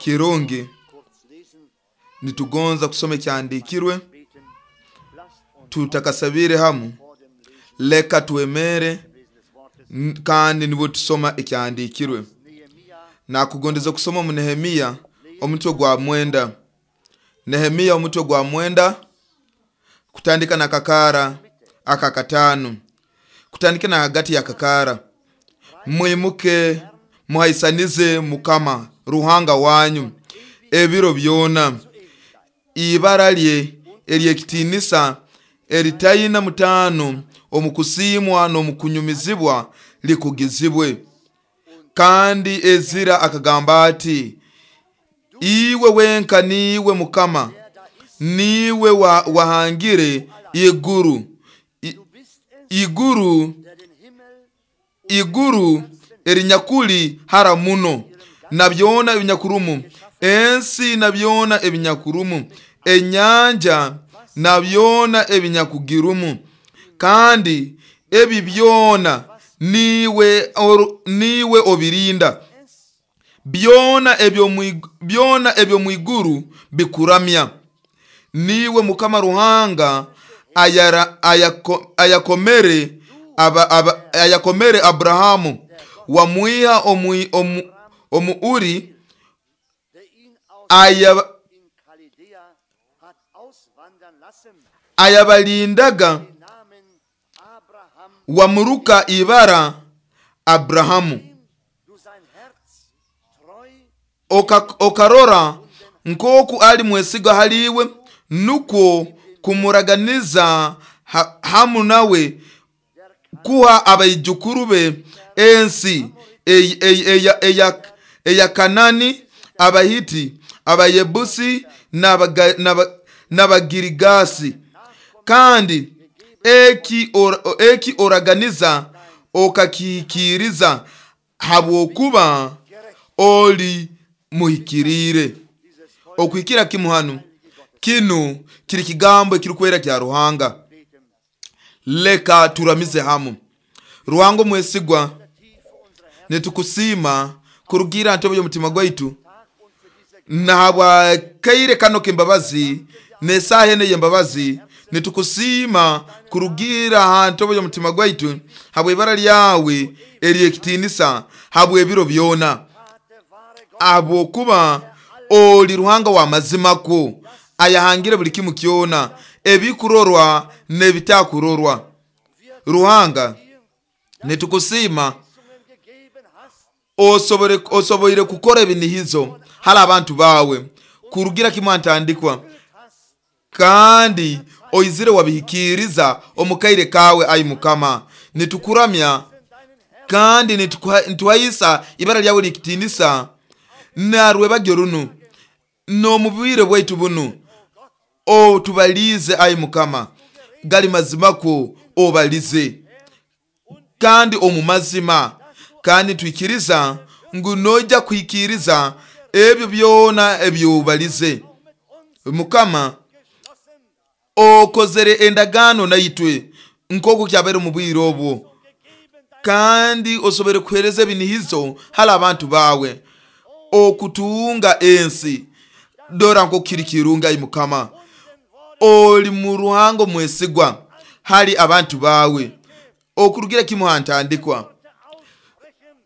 Kirungi kurz lesen, nitugonza kusoma ekyandiikirwe beten. Lasst uns tutakasabire hamu. vor dem Lesen Leka twemere des Wortes kandi nibwo tusoma ekyandiikirwe. Nehemia Nakugondeza kusoma omu Nehemiya omutwe gwa 9. Nehemiya omutwe gwa 9 kutandika na kakara aka 5, kutandika na hagati ya kakara. Mwimuke muhaisanize Mukama Ruhanga wanyu ebiro byona, ibara lye ery'ekitiinisa eritaina mutaano omu kusiimwa n'omu kunyumizibwa likugizibwe. Kandi Ezira akagamba ati, iwe wenka niiwe Mukama, niiwe wahangire iguru, Du bist es, iguru der den Himmel iguru erinyakuli hara muno, na byona ebinyakurumu, ensi na byona ebinyakurumu, enyanja na byona ebinyakugirumu, kandi ebi byona niiwe obirinda. Byona byona eby'omu iguru bikuramya. Niiwe Mukama Ruhanga ayakomere Abrahamu, wamwiha omu Uri, der ihn aus in Chaldea hat auswandern lassen, ayabalindaga, den Namen Abraham, wamuruka ibara Abrahamu. dem du sein Herz treu Okarora nk'oku ali mwesiga haliwe, nukwo kumuraganiza hamu nawe kuha abaijukuru be ensi eya Kanani, Abahiti, Abayebusi n'Abagirigasi. Kandi eki oraganiza okakihikiriza, habwokuba oli muhikiriire. Okuhikira kimu hanu, kinu kiri kigambo ekirikwera kya Ruhanga. beten. Leka turamize hamu. Ruhanga omwesigwa, Tiefe unserer Herzen nitukusiima kurugira ntobo y'omutima gwaitu Tag und für diese nahabwa kaire kano k'embabazi n'esaaha eno ey'embabazi. Nitukusiima kurugira ha ntobo y'omutima gwaitu habw'ibara lyawe ery'ekitiinisa habw'ebiro byona, Tate wahre Gott, habwokuba oli Ruhanga wa mazima kwo ayahangire buli kimu kyona, ebikurorwa n'ebitakurorwa. Ruhanga, nitukusiima Zungen gegeben hast, osoboire kukora ebinihizo hali abantu bawe kurugira kimwe ntandikwa, hast, kandi oizire wabihikiriza omu kaire kawe. Ai Mukama, nitukuramya kandi nituhaisa ibara lyawe ly'ekitiinisa narwebagyo runu n'omu bwire bwaitu bunu. Otubalize ai Mukama, gali mazima kwo obalize kandi omu mazima, kandi twikiriza ngu noija kuhikiriza ebyo byona ebyobalize. Mukama, okozere endagaano naitwe nk'oku kyabaire omu bwire obwo, kandi osobore kuhereza ebinihizo hali abantu bawe okutunga ensi. Dora nk'oku kiri kirungi. Ai Mukama, oli mu Ruhanga omwesigwa hali abantu bawe okurugira kimu ha ntandikwa.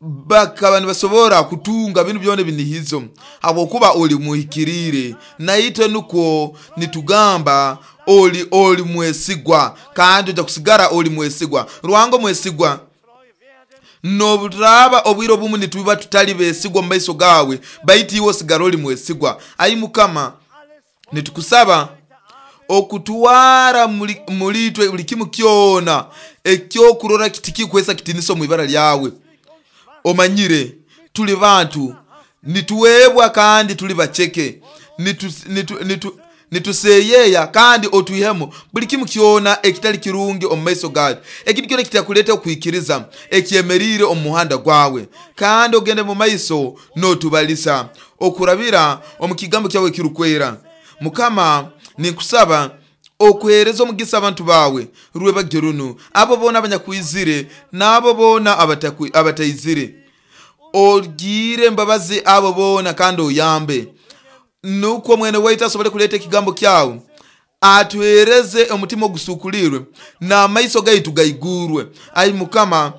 Bakaba nibasobora kutunga binu byona ebinihizo habwokuba oli muhikiriire. Naitwe nukwo nitugamba oli mwesigwa, kandi ojja kusigara oli mwesigwa. Ruhanga omwesigwa, nobuturaaba obwire obumu nituba tutali besigwa omu maiso gawe, baitu iwe osigara oli mwesigwa. Ai Mukama, nitukusaba okutwara mulitwe buli kimu kyona ekyokurora kitikikwesa kitinisa omu ibara lyawe. Omanyire tuli bantu nituwebwa kandi tuli baceke, nituseyeya, kandi otwihemu buli kimu kyona ekitali kirungi omu maiso gawe, ekintu kyona ekitakuleta okwikiriza ekyemeriire omu muhanda gwawe, kandi ogende mu maiso n'otubalisa okurabira omu kigambo kyawe ekirukwera. Mukama, ninkusaba okuhereza omugisa abantu bawe rwebagyo runu, abo boona abanyakwizire n'abo boona abataizire. Ogire embabazi abo boona kandi oyambe, nukwo mwene waitu asobole kuleeta ekigambo kyawe, atuhereze omutima ogusukulirwe n'amaiso gaitu gaigurwe, ai Mukama,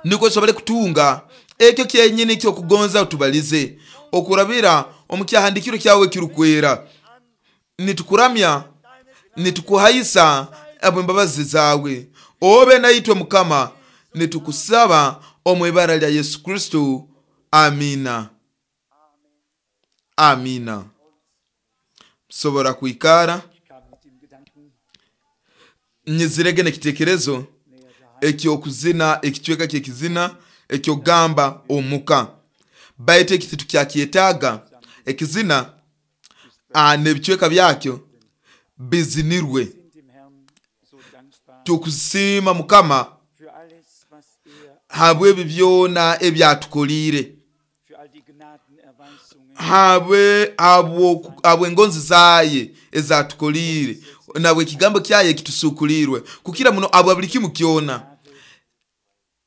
nukwo tusobole kutunga ekyo kyenyini kyokugonza tubalize okurabira omu kyahandikiro kyawe ekirukwera. Nitukuramya, nitukuhaisa abw'embabazi zawe, obe naitwe Mukama, nitukusaba omu ibara lya Yesu Kristo, amina. Amina. Sobora kwikara. Nyizirege n'ekitekerezo ekyokuzina, ekicweka kyekizina ekyokugamba omuka, baitu eki titukyakyeetaaga. Ekizina n'ebicweka byakyo bizinirwe. Tukusiima Mukama habw'ebi byona ebyatukoliire, habw'engonzi zaye ezatukoliire, nabwe ekigambo kyaye ekitusukulirwe, kukira muno habwa buli kimu kyona.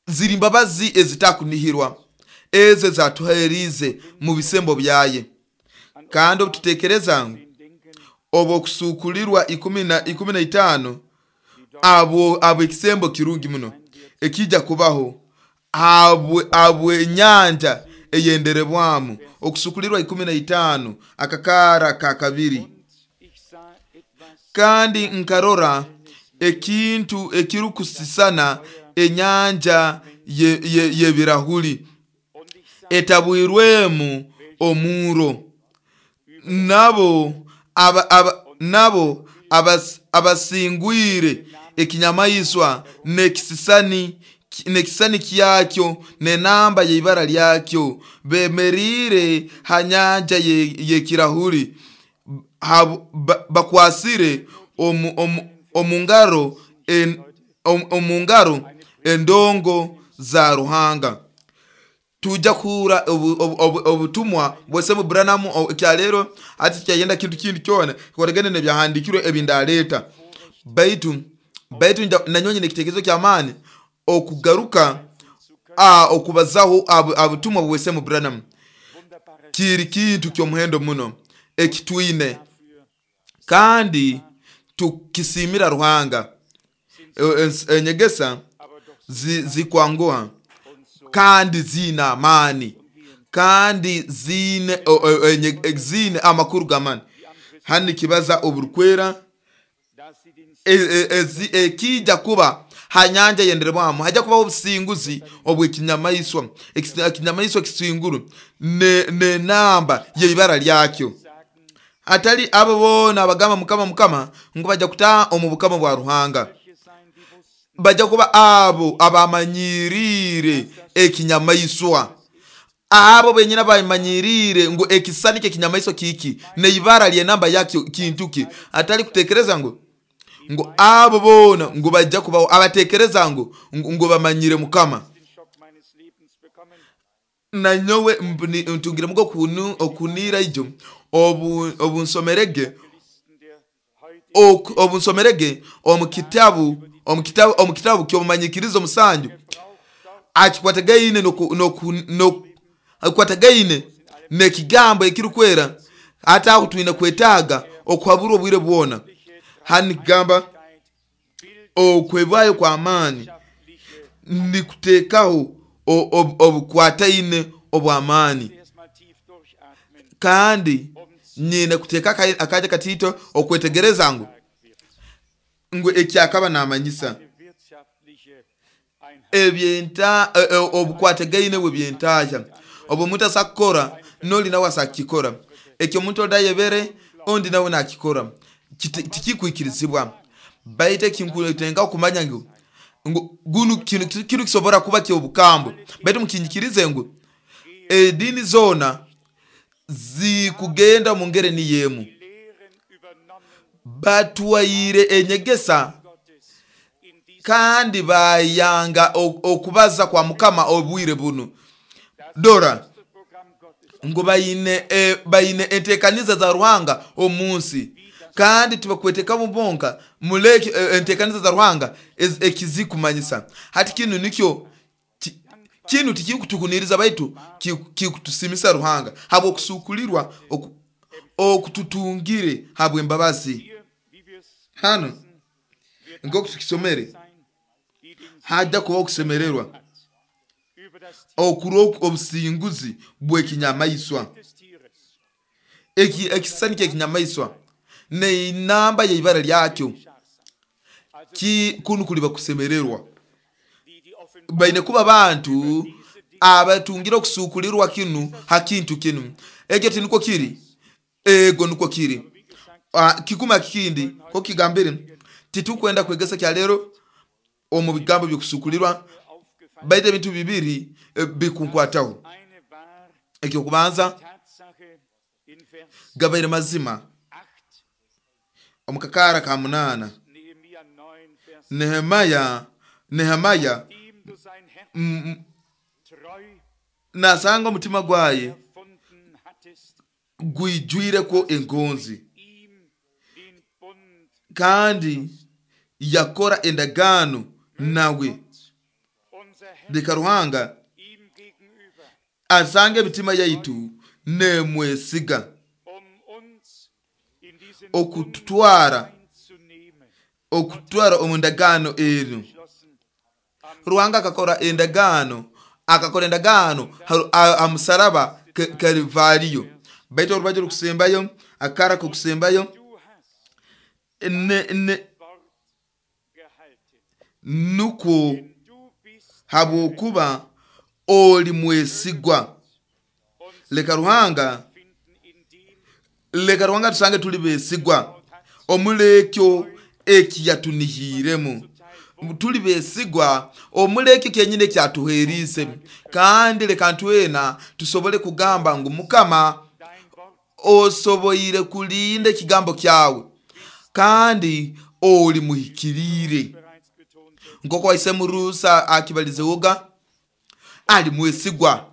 Ziri mbabazi ezitakunihirwa ezo ezatuherize mu bisembo byaye. Kandi obututekereza ngu obwokusukulirwa 15 abo ekisembo kirungi muno ekijja kubaho habw'enyanja eyenderebwamu, okusukulirwa 15 akakara ka 2. Kandi nkarora ekintu ekirukusisana enyanja y'ebirahuri etabwirwemu omuro, nabo abasingwire ekinyamaiswa n'ekisisani kyakyo n'enamba y'ibara lyakyo, bemerire ha nyanja y'ekirahuri, bakwasire omu ngaro endongo za Ruhanga. Tujja kuhura obutumwa bwose Branham ekyalero, ati kyayenda kintu kindi kyona kikoragane n'ebyahandikirwe ebindaleeta, baitu nanyonye n'ekitekerezo ky'amaani okugaruka okubazaho obutumwa bwose Branham. Kiri kintu ky'omuhendo muno ekitwine, kandi tukisimira Ruhanga. Enyegesa zikwanguha kandi zina amani, kandi zine amakuru g'amani. Hano kibaza oburukwera ekijja kuba ha nyanja yenderebwamu, hajja kubaho obusinguzi obw'ekinyamaiswa, ekinyamaiswa kisinguru n'enamba y'ibara lyakyo. Atali abo boona abagamba Mukama Mukama ngu bajja kutaaha omu bukama bwa Ruhanga, bajja kuba abo abamanyirire ekinyamaiswa, abo benyini abamanyirire ngu ekisani ky'ekinyamaiswa kiki n'ibara ly'enamba yakyo kintu ki. Atali kutekereza ngu abo boona ngu bajja kubaho abatekereza ngu bamanyire Mukama. Nanyowe ntungire mugo okunira ijo obunsomerege omu kitabu ky'omumanyikirizo 7 akikwatagaine akikwatagaine n'ekigambo ekirukwera, hata aho twine kwetaaga okuhaburwa obwire bwona. Hano nikigamba okwebwayo kw'amaani nikuteekaho obukwataine obw'amaani, kandi nyine kuteeka akaja katito okwetegereza ngu ekyakaba namanyisa obukwatagaine bw'ebyentahya, obu omuntu asakukora n'oli nawe asakukikora, ekyo omuntu oli ayebere ondi nawe nakikora, tikikwikirizibwa. Baitu ekinkutenga okumanya ngu gunu kinu kisobora kuba ky'obukambwe, baitu mukinyikirize ngu edini zona zikugenda mu ngeri niyo emu. Batwaire enyegesa kandi bayanga okubaza kwa Mukama obwire bunu. Dora ngu bayine entekaniza za Ruhanga omu nsi, kandi tibakwetekamu bonka muleke entekaniza za Ruhanga ekizikumanyisa. Hati kinu nikyo Kinu tikikutuhuniriza baitu kikutusimisa Ruhanga habw'okusukulirwa okututungire habw'embabazi. Hano nk'oku tukisomere, hajja kuba okusemererwa okurwa obusinguzi bw'ekinyamaiswa. Ekisisani ky'ekinyamaiswa n'enamba y'ibara lyakyo, kunu kuliba kusemererwa. Baine kuba bantu abatungire okusukulirwa kinu ha kintu kinu. Ekyo tinukwo kiri? Ego nukwo kiri. Kikuma kikindi ko kigambire, titukwenda kwegesa kya lero omu bigambo by'okusukulirwa, baitu ebintu bibiri bikunkwataho. Ekyokubanza, gabaire mazima omu kakara ka 8, Nehemaya nasanga omutima gwaye gwijwireko engonzi, kandi yakora endagaano nawe. Leka Ruhanga asange emitima yaitu nemwesiga okututwara omu ndagaano eno. Ruhanga akakora endagaano, ha musaraba Kalivariyo. Baitu orubaju rukusembayo, akara kukusembayo, nukwo habwokuba oli mwesigwa. Leka Ruhanga tusange tuli besigwa omulekyo ekiyatunihiremu. Tuli besigwa omulekyo kyenyine kyatuherize. Kandi leka ntwena tusobole kugamba ngu Mukama osoboire kulinda ekigambo kyawe, kandi oli muhikirire. Nk'oku waisemurusa akibalizewoga, ali mwesigwa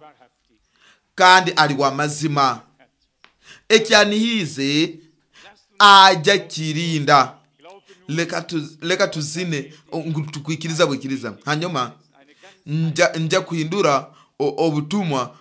kandi ali wa mazima. Ekyanihize aja kirinda. Leka tuzine ngu tukwikiriza bwikiriza. Hanyuma nja kuhindura obutumwa.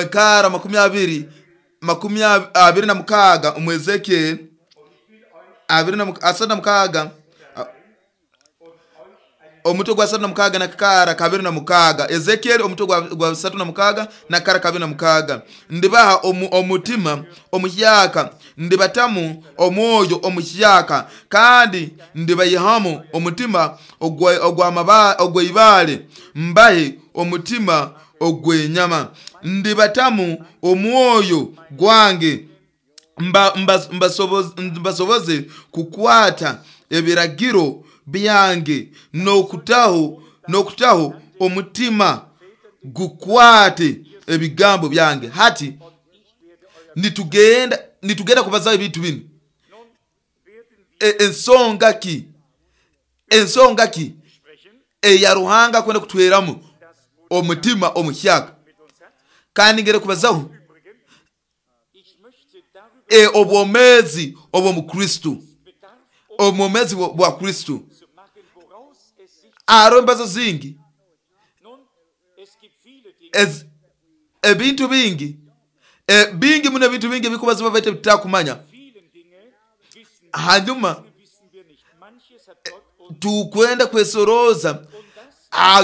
Kara 26 omu Ezekiel 36, omutwe gwa 36 na kara 26. Ezekiel omutwe gwa 36 na kara 26. Ndibaha omutima omuhyaka, ndibatamu omwoyo omuhyaka, kandi ndibayihamu omutima ogw'ibale, mbahe omutima ogw'enyama. Ndibatamu omwoyo gwange, mbasoboze kukwata ebiragiro byange, n'okutaho omutima gukwate ebigambo byange. Hati nitugenda kubazaho ebintu binu. Ensonga ki eya Ruhanga kwenda kutweramu omutima omuhyaka? Kandi ngere kubazaho obwomezi obw'omukristo, obwomezi bwa Kristo. Aro embazo zingi, ebintu bingi, bingi muno, ebintu bingi ebikubaza baitu tutakumanya. Hanyuma tukwenda kwesoroza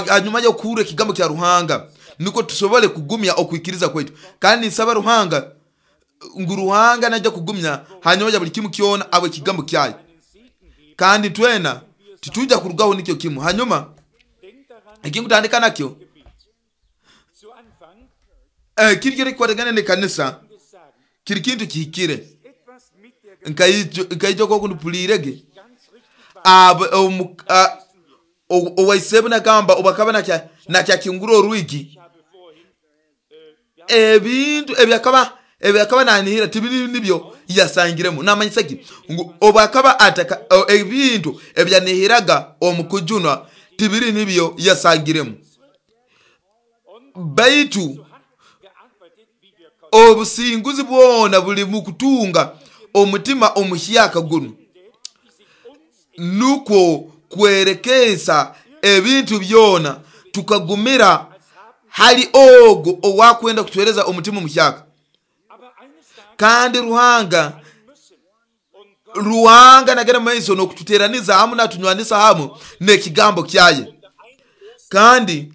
hanyuma y'okuhurra ekigambo kya Ruhanga, niko tusobole kugumya okwikiriza kwaitu. Kandi nsaba Ruhanga ngu Ruhanga najja kugumya hanyuma ya buli kimu kyona abo ekigambo kyayo, kandi twena titujja kurugaho nikyo kimu. Hanyuma ekinkutandika nakyo kiri kiri kukwatagana n'ekanisa, kiri kintu kihikire. Nkaija nk'oku nipulirege owaisebu nagamba obwakaba nakyakingura orwigi, ebintu ebyakaba nanihira tibiri nibyo yasangiremu. Namanyisa ki? Ngu obwakaba ataka ebintu ebyanihiraga omu kujunwa tibiri nibyo yasangiremu. Baitu obusinguzi bwona buli mu kutunga omutima omuhyaka gunu, nukwo kwerekesa ebintu byona, tukagumira hali ogo owakwenda kutuhereza omutima omuhyaka. Kandi Ruhanga nagenda maiso n'okututeraniza hamu natunywanisa hamu n'ekigambo kyaye. Kandi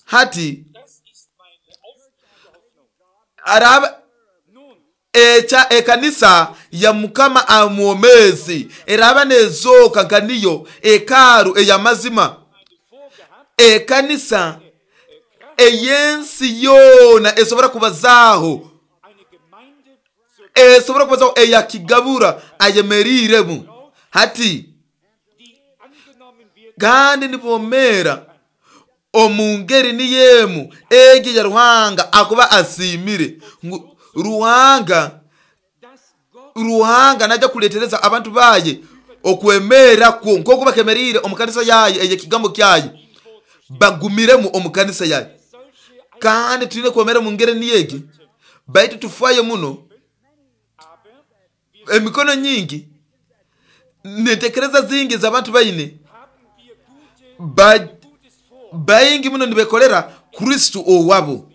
hati araba echa ekanisa ya Mukama amwomezi eraba nezoka nka niyo ekaru ey'amazima, ekanisa ey'ensi yoona esobora kubazaho, eyakigabura ayemeriremu hati, kandi nibomera omu ngeri niyemu egi ya Ruhanga akuba asimire. Ngu Ruhanga naja kuletereza abantu baye okwemera kwo nk'oku bakemerire omu kanisa yaye eyekigambo kyaye, bagumiremu omu kanisa yaye. Kandi tulina kwemera mu ngeri niyegi, baitu tufaye muno. Emikono nyingi nentekereza zingi z'abantu baine baingi muno nibekolera Kristo owabo.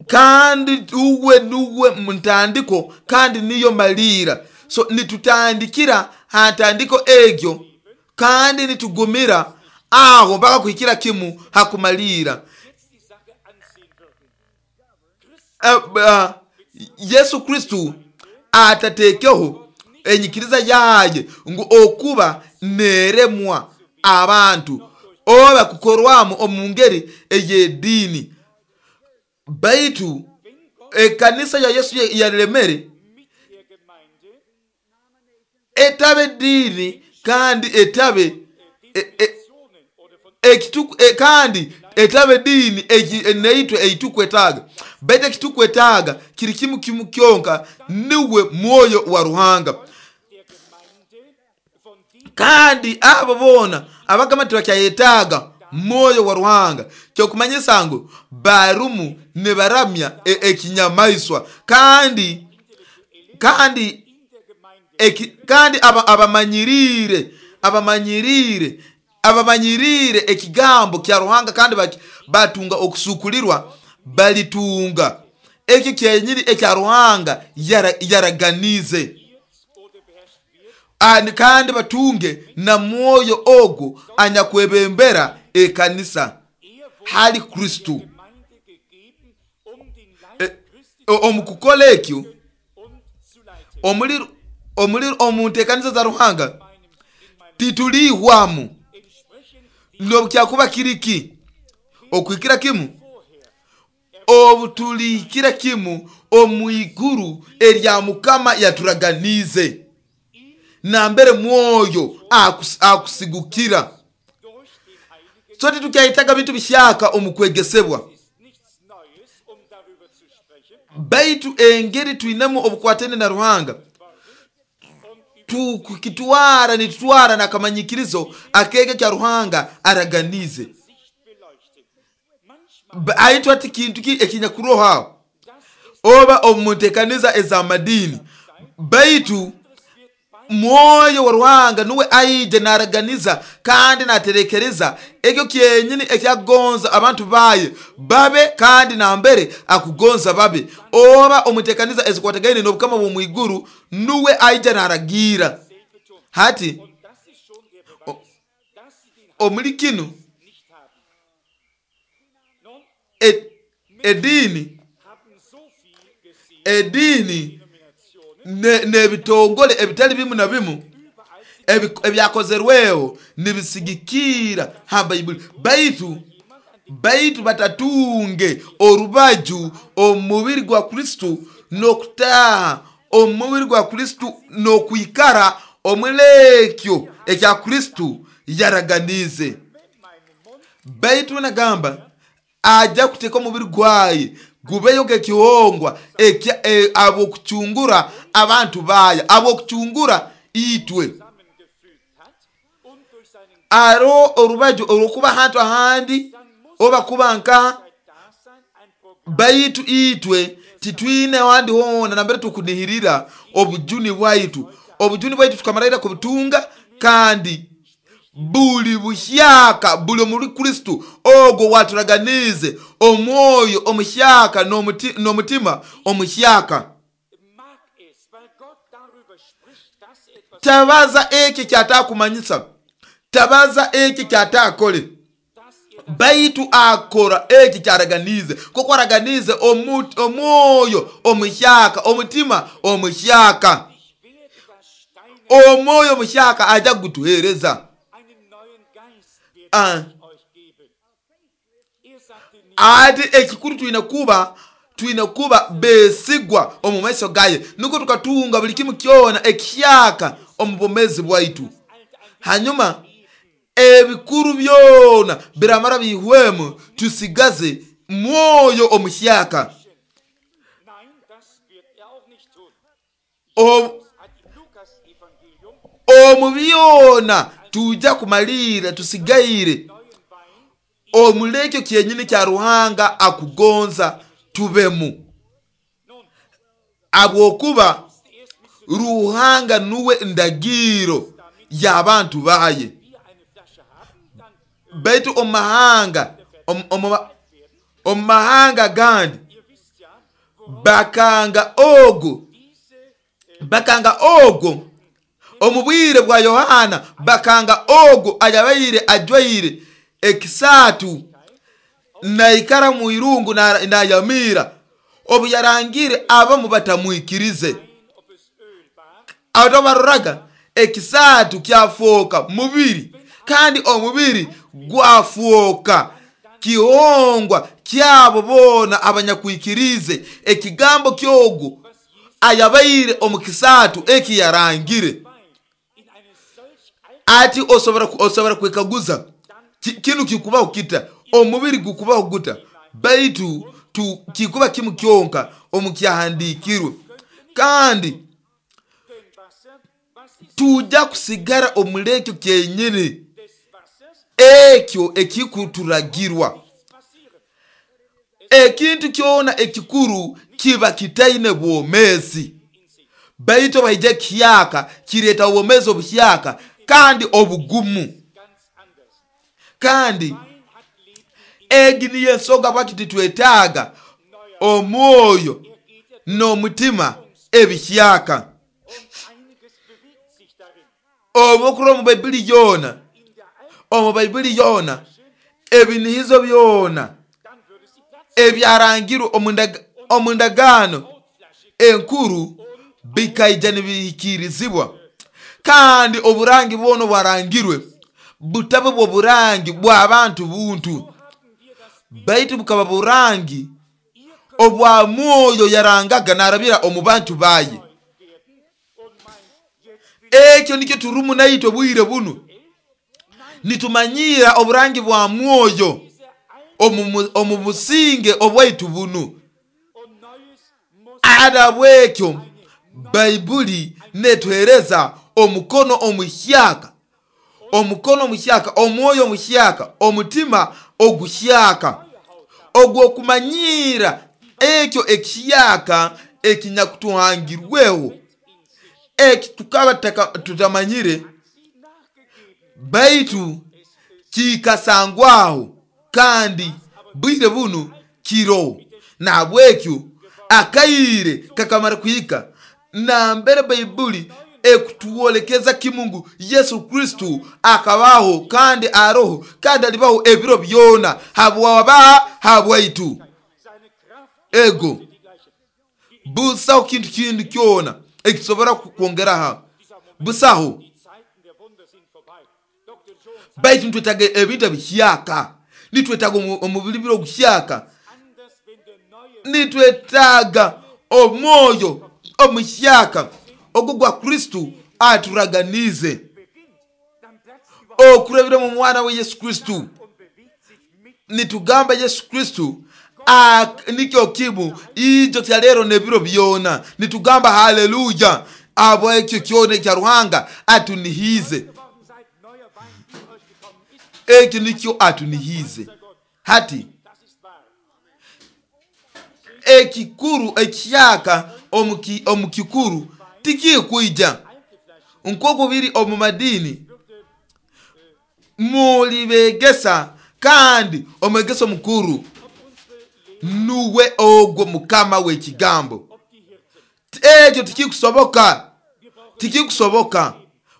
Kandi uwe nuwe ntandiko kandi niyo malira. So nitutandikira ha ntandiko egyo kandi nitugumira aho mpaka kuhikira kimu hakumalira. Yesu Kristo atatekeho enyikiriza yaye ngu okuba neremwa abantu oba kukorwamu omu ngeri ey'ediini, baitu ekanisa ya Yesu yaremere etabe diini kandi etabe kandi etabe diini neitwe eitukwetaaga, baitu ekitukwetaaga kiri kimu kimu kyonka, niwe mwoyo wa Ruhanga. Kandi abo boona abagamba nti bakyayetaaga mwoyo wa Ruhanga, kyokumanyisa ngu barumu nibaramya ekinyamaiswa, kandi abamanyirire ekigambo kya Ruhanga kandi batunga okusukulirwa, balitunga ekyo kyenyini ekya Ruhanga yaraganize, kandi batunge na mwoyo ogwo anyakwebembera ekanisa hali Kristo. Omu kukola ekyo omu nteekaniza za Ruhanga titulihwamu nobukyakuba kiriki okuhikira kimu, obutulikira kimu omu iguru erya Mukama yaturaganize, nambere mwoyo akusigukira. So titukyayitaga bintu bihyaka omu kwegesebwa, baitu engeri twinemu obukwatene na Ruhanga tukitwara nitutwara nakamanyikirizo akege kya Ruhanga araganize. Aitwa ati kintu ki ekinyakuroha oba omuntekaniza ez'amadini, baitu mwoyo wa Ruhanga nuwe aije naraganiza kandi naterekereza ekyo kyenyini ekyakugonza abantu baye babe, kandi nambere akugonza babe. Oba omutekaniza ezikwatagaine n'obukama bw'omwiguru nuwe aija naragira. Hati omuli kinu edini n'ebitongole ebitali bimu na bimu ebyakozerweho nibisigikira ha Baibuli, baitu Baitu batatunge orubaju omu mubiri gwa Kristo n'okutaaha omu mubiri gwa Kristo n'okwikara omulekyo ekya Kristo yaraganize. Baitu nagamba ajja kuteeka omubiri gwaye gubeyo nk'ekihongwa ab'okucungura abantu baye, ab'okucungura itwe. Aro orubaju orw'okuba ahantu ahandi oba kuba nkaha, baitu itwe titwine ahandi hoona nambere tukunihirira obujuni bwaitu. Obujuni bwaitu tukamaraira kubutunga, kandi buli buhyaka buli omuri Kristo ogwo waturaganize omwoyo omuhyaka n'omutima omuhyaka. Tabaza ekyo kyatakumanyisa, tabaza ekyo kyatakole, baitu akora ekyo kyaraganize, kuko araganize omwoyo omuhyaka, omutima omuhyaka. Omwoyo omuhyaka aja kutuhereza. Ati ekikuru twine kuba besigwa omu maiso gaye, nuko tukatunga buli kimu kyona ekihyaka omu bwomezi bwaitu. Hanyuma ebikuru byona biramara bihwemu, tusigaze mwoyo omuhyaka. Omu byona tuja kumalira tusigaire omulekyo kyenyini kya Ruhanga akugonza tubemu, abwokuba Ruhanga nuwe ndagiro y'abantu baye. Baitu omu mahanga gandi bakanga ogwo omu bwire bwa Yohana, bakanga ogwo ayabaire ajwaire ekisatu naikara mu irungu nayamira, obu yarangire abamu batamwikirize. Aho baroraga ekisatu kyafoka mubiri, kandi omubiri gwafoka kihongwa kyabo bona abanyakwikirize ekigambo kyogwo ayabaire omu kisatu eki yarangire. Ati osobora kwekaguza kinu kikubaho kita, omubiri gukubaho guta? Baitu kikuba kimu kyonka omu kyahandikirwe, kandi tuja kusigara omulekyo kyenyini ekyo ekikuturagirwa. Ekintu kyona ekikuru kiba kitaine bwomezi, baitu baija kihyaka kireta obwomezi obuhyaka kandi obugumu. Kandi egi niyo ensonga lwaki titwetaaga omwoyo n'omutima ebihyaka. Obwokurora omu Baibuli yoona, omu Baibuli yoona ebinihizo byona ebyarangirwe omu ndagaano enkuru bikaija nibihikirizibwa, kandi oburangi bwona obwarangirwe butabe bw'oburangi bw'abantu buntu, baitu bukaba burangi obwa mwoyo yarangaga narabira omu bantu baye. Ekyo nikyo turumu naitwe bwire bunu, nitumanyira oburangi bwa mwoyo omu businge obwaitu bunu. Ada bwekyo Baibuli netuhereza omukono omuhyaka, omukono omuhyaka, omwoyo omuhyaka, omutima oguhyaka, ogw'okumanyira ekyo ekihyaka ekinyakutuhangirweho, eki tukaba tutamanyire, baitu kikasangwaho kandi bwire bunu kiroho. Nahabwekyo akaire kakamara kuhika nambere Baibuli ekutuwolekeza kimu ngu Yesu Kristo akabaho kandi aroho kandi alibaho ebiro byona habwaba habwaitu. Ego busaho kintu kindi kyona ekisobora kwongeraho, busaho. Baitu nitwetaaga ebintu ebihyaka. Nitwetaaga omubiri biro oguhyaka. Anders, wenn der neue Nitwetaaga omwoyo omuhyaka ogwo gwa Kristo aturaganize beginnt, dann platzt überhaupt okurabira mu mwana we Yesu Kristo. und bewegt sich mit Nitugamba Yesu Kristo nikyo kimu ijo kya lero nebiro byona. Nitugamba haleluya abo ekyo kyona ekya Ruhanga atunihize. geworden seid, neuer Wein in euch gekommen ist. Ekyo nikyo atunihize hati. Das ist wahr. Ekikuru ekyaka omu kikuru tikikwija Alte Flaschen nk'oku biri omu madini mulibegesa, kandi omwegesa omukuru nuwe ogwo mukama w'ekigambo. ob die Hirten. Ekyo tikikusoboka, tikikusoboka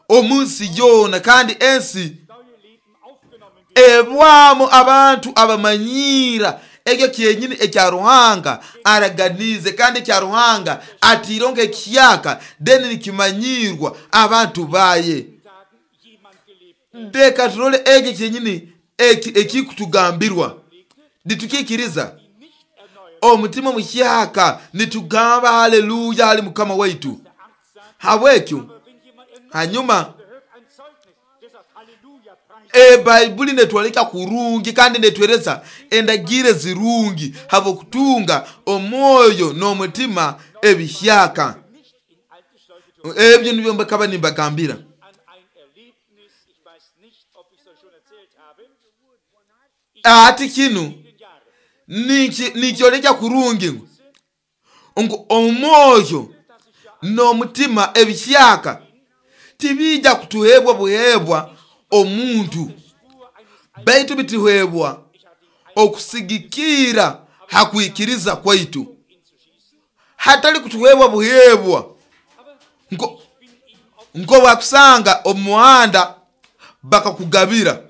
omu nsi yoona. Kandi ensi Neue Leben aufgenommen wird. ebwamu abantu abamanyiira ekyo kyenyini ekya Ruhanga araganize, kandi ekya Ruhanga atiire nk'ekiyaka deni nikimanyirwa abantu baye. Tagen jemand gelebt. Ndeka turole ekyo kyenyini ekikutugambirwa nitukikiriza Die nicht erneuert. omutima muhyaka, nitugamba haleluya hali mukama waitu. Der Arzt sagt, Habwekyo aber wenn jemand erneuert hanyuma wird, hört ein Zeugnis, der sagt Halleluja, preis Ebaibuli netwoleka kurungi kandi netwereza endagire zirungi habwokutunga omwoyo n'omutima ebihyaka. nicht in alte Schläuche Ebyo nibyo mbakaba nimbagambira. an ein Erlebnis, ich weiß nicht, ob ich es euch schon erzählt habe, Ati kinu in den Jahren, nikyoleka kurungi ngu omwoyo n'omutima ebihyaka tibijja kutuhebwa buhebwa omuntu, Spur eines baitu bituhebwa okusigikira hakwikiriza kwaitu, hatali kutuhebwa buhebwa nko bakusanga omu muhanda bakakugabira,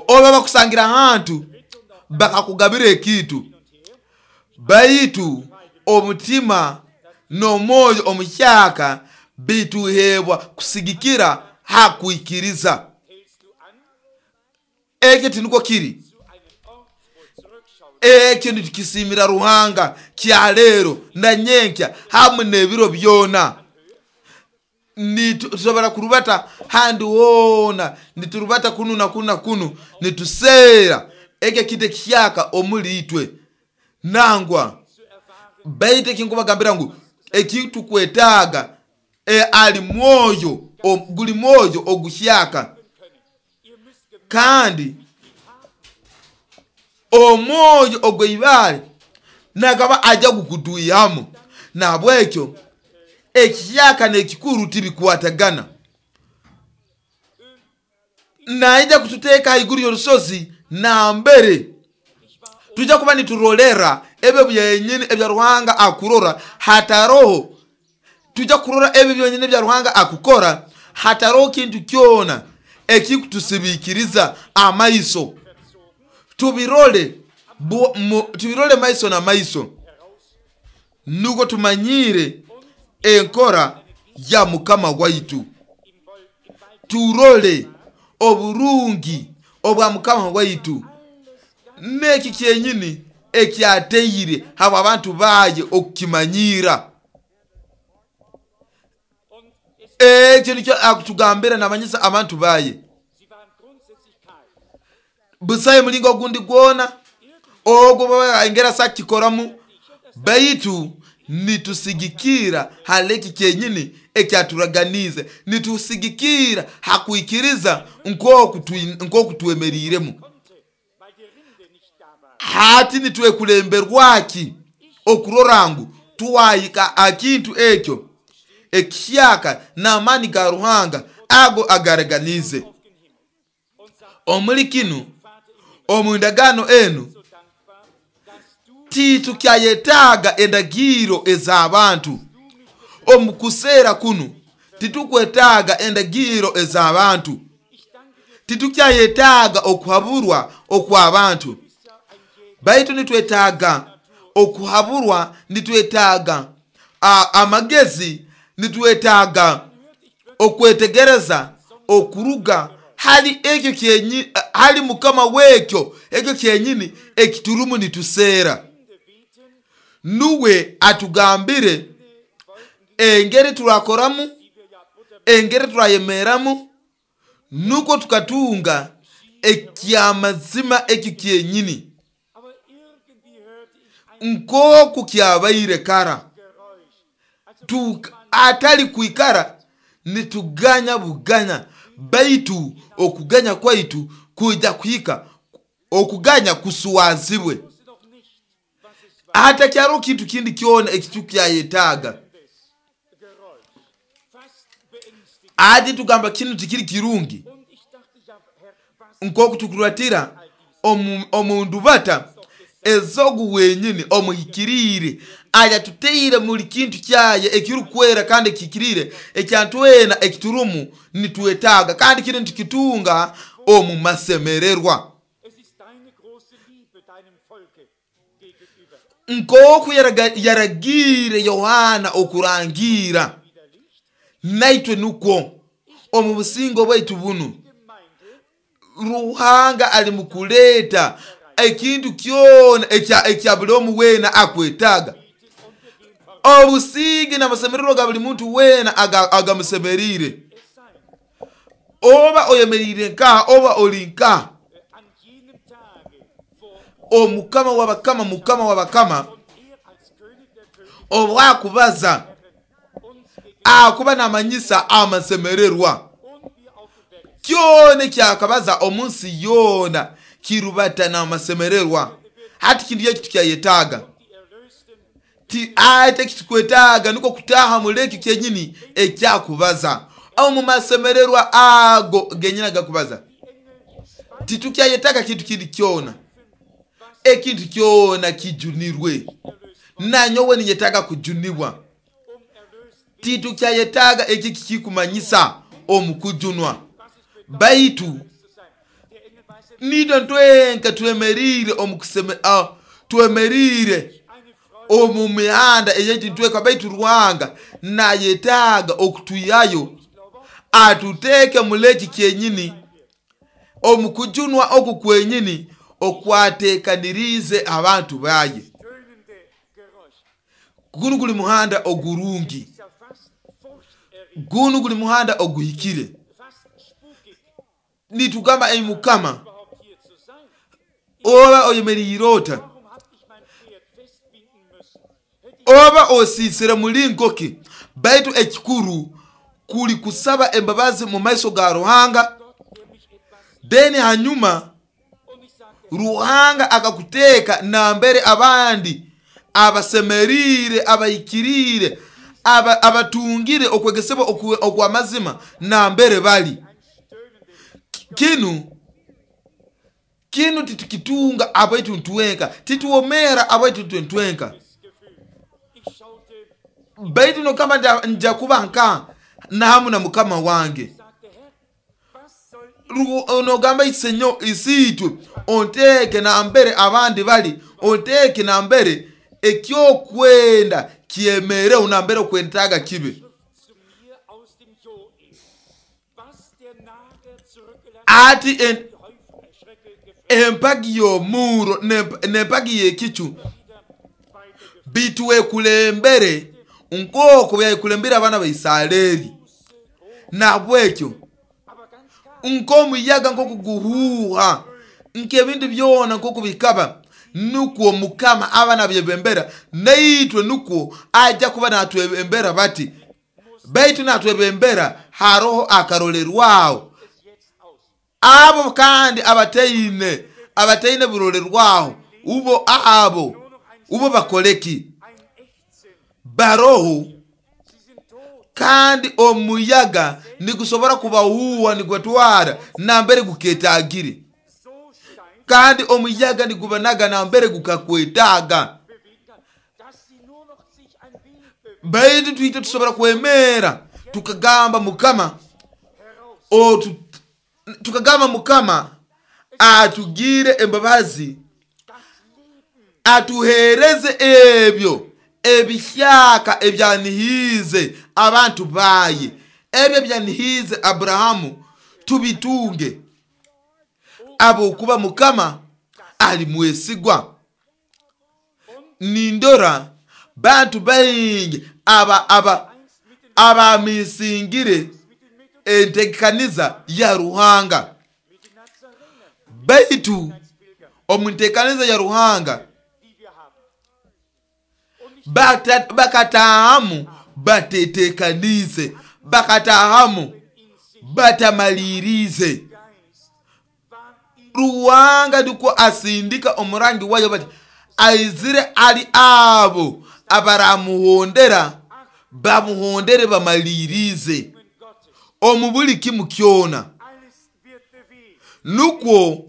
oba bakusangira ahantu bakakugabira ekintu, baitu omutima n'omwoyo omuhyaka bituhebwa kusigikira hakwikiriza. hältst du an Ekyo tiniko kiri. zu einem Ort, wo zurückschauen Ekyo nitukisimira Ruhanga kya leero na nyenkya hamu n'ebiro byona. Nitusobora kurubata handi woona, niturubata kunu na kunu na kunu, nituseera ekyo kintu ekihyaka omuli itwe nangwa. zu erfahren, Baitu ekinkubagambira ngu ekitukwetaaga ali mwoyo guli mwoyo oguhyaka, können. Ihr müsst gemerkt kandi omwoyo ogw'eibaale nagaba ajja gukutwihamu. Nabwekyo ekihyaka n'ekikuru tibikwatagana. Naija kututeeka haiguru y'orusozi nambere tujja kuba niturolera ebyo byenyini ebya Ruhanga akurora hataroho. Tujja kurora ebyo byonyini ebya Ruhanga akukora hataroho kintu kyona ekikutusibikiriza amaiso. Tubirole tubirole maiso na maiso, nuko tumanyire enkora ya mukama waitu. Turole oburungi obwa mukama waitu n'eki kyenyini ekyateire habo abantu baye okukimanyira. und es, Ekyo nikyo akutugambira namanyisa abantu baye. sie waren grundsätzlich kahl. Busaye mulingo ogundi gwona ogwo baba engera sakikoramu, baitu nitusigikira haleki kyenyini ekyaturaganize, nitusigikira hakwikiriza nkoku twemeriremu. Konnte, weil die Rinde nicht da war. Hati nitwekulemberwaki okurora ngu tuwayika akintu ekyo ekihyaka n'amaani ga Ruhanga ago agaraganize. Auf den Himmel und sagt, Omuli kinu Vater im Himmel, omu ndagaano enu so dankbar, dass du titukyayetaaga endagiro ez'abantu. Omu kuseera kunu titukwetaaga endagiro ez'abantu, Ich danke dir, titukyayetaaga okuhaburwa okw'abantu, bist ja ein Jäger. baitu nitwetaaga okuhaburwa, nitwetaaga amagezi, nitwetaaga okwetegereza okuruga Hali ekyo kyenyi hali mukama wekyo ekyo kyenyini ekiturumu nituseera. Nuwe atugambire engeri turakoramu, engeri turayemeramu, nukwo tukatunga ekyamazima ekyo kyenyini nk'oku kyabaire kara. Atali kwikara nituganya buganya, baitu okuganya kwaitu kuija kuhika okuganya kuswazibwe. Hatakyaro kintu kindi kyona ekitukyayetaaga. Ati tugamba kinu tikiri kirungi nk'oku tukuratira omu ndubata ezogu wenyini omuhikiriire ayatuteire muli kintu kyaye ekirukwera kandi ekihikiriire ekyantwena ekiturumu nitwetaaga, kandi kinu nitukitunga omu masemererwa. Nk'oku yaragiire Yohana okurangiira, naitwe nukwo omu busingo bwaitu bunu Ruhanga ali mukuleeta ekintu kyona ekya buli omu weena akwetaaga. Obusinge n'amasemererwa ga buli muntu weena agamusemeriire. Oba oyemeriire nkaha, oba oli nkaha, omukama w'abakama, mukama w'abakama, obwakubaza akuba namanyisa amasemererwa. Kyona ekyakabaza omu nsi yoona kirubata n'amasemererwa. Hati kintu eki tukyayetaaga. Ate ekitukwetaaga nukwo kutaaha muri ekyo kyenyini ekyakubaza omu masemererwa ago genyini agakubaza. Titukyayetaaga kintu kindi kyona, ekintu kyona kijunirwe. Nanyowe ninyetaaga kujunibwa. Titukyayetaaga eki kikikumanyisa omu kujunwa, baitu nitwe ntwenka twemerire twemerire omu mihanda eyaitu ntweka, baitu Ruhanga nayetaaga okutwihayo atuteeke muleki kyenyini omu kujunwa oku kwenyini okwateekaniriize abantu baye. Gunu guli muhanda ogurungi, gunu guli muhanda oguhikire. Nitugamba ei mukama, oba oyemeriire ota, oba osiisire mulingo ki, baitu ekikuru kuli kusaba embabazi mu maiso ga Ruhanga. Then hanyuma Ruhanga akakuteeka nambere abandi abasemeriire, abahikiriire, abatungire okwegesebwa okw'amazima nambere bali. Kinu titukitunga abaitu ntwenka, tituwomera abaitu ntwenka. Baitu nokamba nja kuba nka nahamu na mukama wange. Onogamba isenyo isiitwe onteeke nambere abandi bali, onteeke nambere ekyokwenda kyemereho, nambere okwetaaga kibe. Ati empagi y'omuro n'empagi y'ekicu bitwekulembere nk'oku byakulembere abaana ba Isareri. Nabwekyo nk'omuyaga nk'okuguhuuha nk'ebintu byona nk'oku bikaba, nukwo mukama aba nabyebembera, naitwe nukwo ajja kuba natwebembera bati. Baitu natwebembera haroho akarolerwaho. Abo kandi abataine burolerwaho, ubo abo ubo bakoleki baroho, kandi omuyaga nigusobora kubahuuha nigubatwara nambere guketagire, kandi omuyaga nigubanaga nambere gukakwetaaga. Baitu twite tusobora kwemera tukagamba mukama, tukagamba mukama atugire embabazi, atuhereze ebyo ebihyaka ebyanihiize abantu baye, ebyo ebyanihiize Abrahamu. Tubitunge ahabwokuba Mukama ali mwesigwa. Nindora bantu baingi aba abamisingire entekaniza ya Ruhanga, baitu omu ntekaniza ya Ruhanga bakatahamu batetekanize, bakatahamu batamalirize. Ruhanga ndiko asindika omurangi wayo bati aizire ali abo abaramuhondera bamuhondere bamalirize omu buli kimu kyona. Nukwo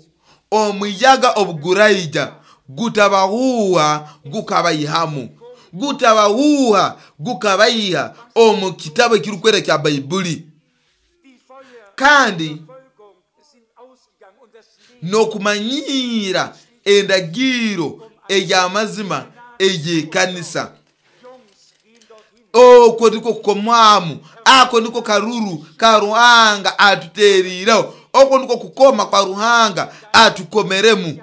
omuyaga obuguraija gutabahuha gukabaihamu, gutabahuha gukabaiha omu kitabo ekirukwera kya Baibuli. Kandi n'okumanyira endagiro ey'amazima ey'ekanisa. Okwo niko kukomwamu, ako niko karuru ka Ruhanga atuteriireho, okwo niko kukoma kwa Ruhanga atukomeremu.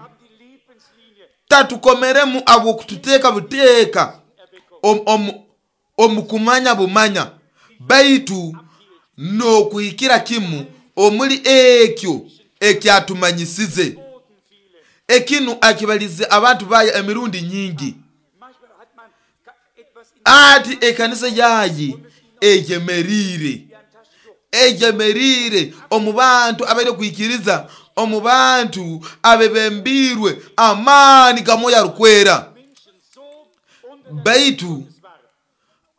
Tatukomeremu abw'okututeeka buteeka omu kumanya bumanya, baitu n'okuhikira kimu omuli ekyo ekyatumanyisize. Ekinu akibalize abantu baya emirundi nyingi ati ekanisa yayi eyemerire, eyemerire omu bantu abaire kwikiriza, omu bantu abebembirwe amaani ga Mwoyo Arukwera.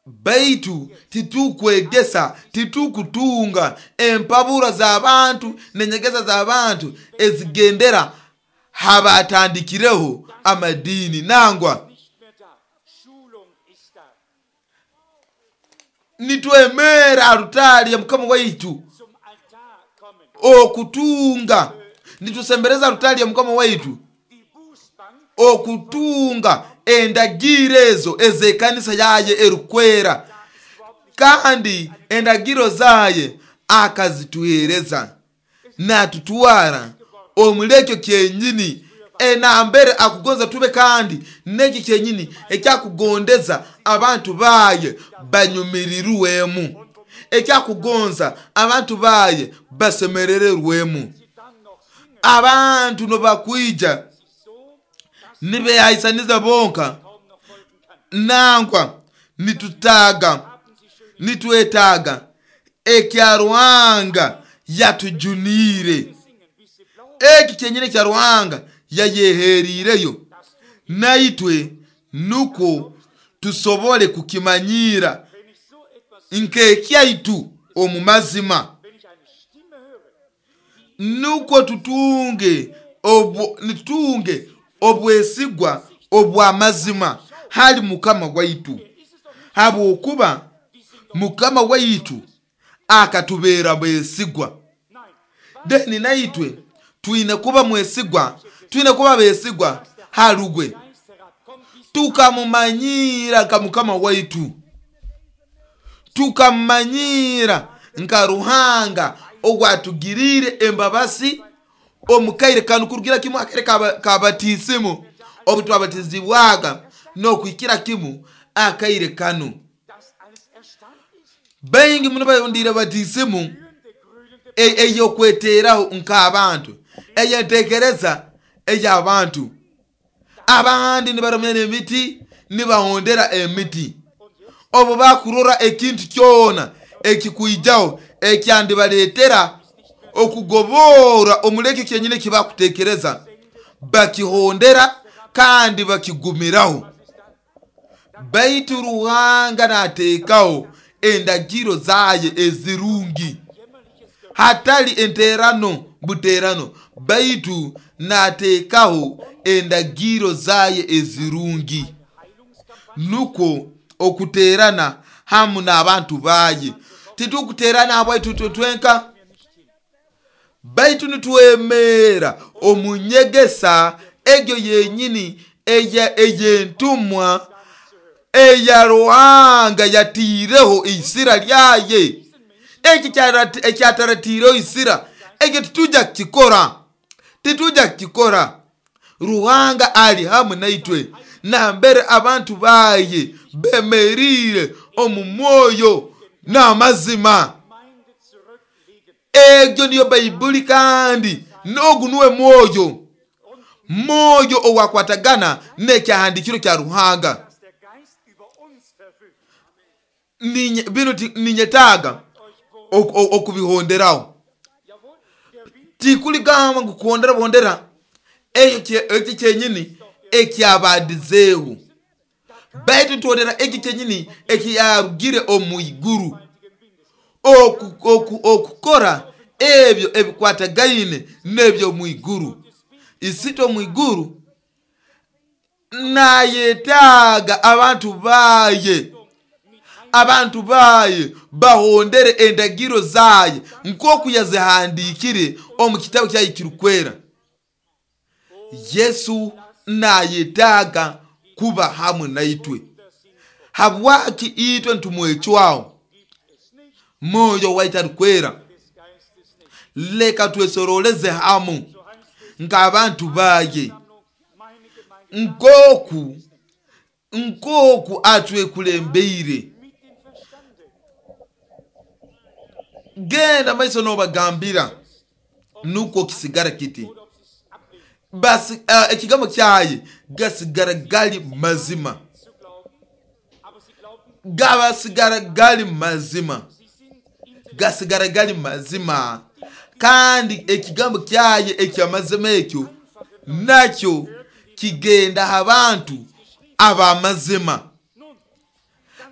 Baitu titukwegesa, titukutunga empabura z'abantu n'enyegesa z'abantu ezigendera habatandikireho amadini. Nangwa nitwemera alutari ya Mukama waitu okutunga, nitusembereza alutari ya Mukama waitu okutunga endagiro ezo ez'ekanisa yaye erukwera, kandi endagiro zaye akazituhereza natutwara omulekyo kyenyini enambere akugonza tube, kandi nekyo kyenyini ekyakugondeza abantu baye banyumirirwemu, ekyakugonza abantu baye basemerererwemu. Abantu nobakwija nibehaisaniza bonka. Nangwa nitwetaaga ekya Ruhanga yatujuniire, eki kyenyini ekya Ruhanga yayeheriireyo naitwe, nukwo tusobole kukimanyira nk'ekyaitu omu mazima, nukwo tutunge obwesigwa obw'amazima hali Mukama waitu, habwokuba Mukama waitu akatubeera bwesigwa. Deni naitwe twine kuba mwesigwa, twine kuba besigwa halugwe, tukamumanyira nka Mukama waitu, tukamumanyira nka Ruhanga ogwatugiriire embabasi omukaire kanu kurugira kimu akaire kabatisimu obu twabatizibwaga n'okuhikira kimu akaire kanu. Baingi muno bayondiire batisimu ey'okweteraho nk'abantu, ey'entekereza ey'abantu. Abandi nibaramya n'emiti, nibahondera emiti. Obu bakurora ekintu kyona ekikwijaho ekyandibaleetera okugobora omulekyo kyenyini ekibakutekereza, bakihondera kandi bakigumiraho. Baitu Ruhanga nateekaho endagiro zaye ezirungi, hatali enterano buterano, baitu nateekaho endagiro zaye ezirungi, nukwo okuterana hamu n'abantu baye. Titukuterana habwaitu twenka, baitu nitwemera omunyegesa egyo yenyini ey'entumwa eya Ruhanga yatiireho isira lyaye. Eki ekyataratiireho isira, Ekyo titujja kukikora, titujja kukikora. Ruhanga ali hamu naitwe nambere abantu baye bemerire omu mwoyo n'amazima. Egyo niyo Baibuli, kandi n'ogu nuwe mwoyo, mwoyo owakwatagana n'ekyahandikiro kya Ruhanga. Binu ninyetaaga okubihonderaho. Tikuligamba ngu kuhondera buhondera ekyo kyenyini ekyabadizeeho, baitu nituhondera ekyo kyenyini ekiyarugire omu iguru, okukora ebyo ebikwatagaine n'ebyo mu iguru. Isitwe omu iguru nayetaaga abantu baye, abantu baye bahondere endagiro zaye nk'oku yazihandikire omu kitabu kyaye kirukwera. Yesu nayetaaga kuba hamwe naitwe. Habwaki itwe ntumwecwaho? Mwoyo waitu arukwera. Leka twesoroleze hamu nk'abantu baye, nk'oku atwekulembeire. Genda maiso n'obagambira nukwo kisigara kiti. Basi ekigambo kyaye gasigara gali mazima, gabasigara gali mazima, gasigara gali mazima. Kandi ekigambo kyaye ekyamazima ekyo nakyo kigenda abantu abamazima,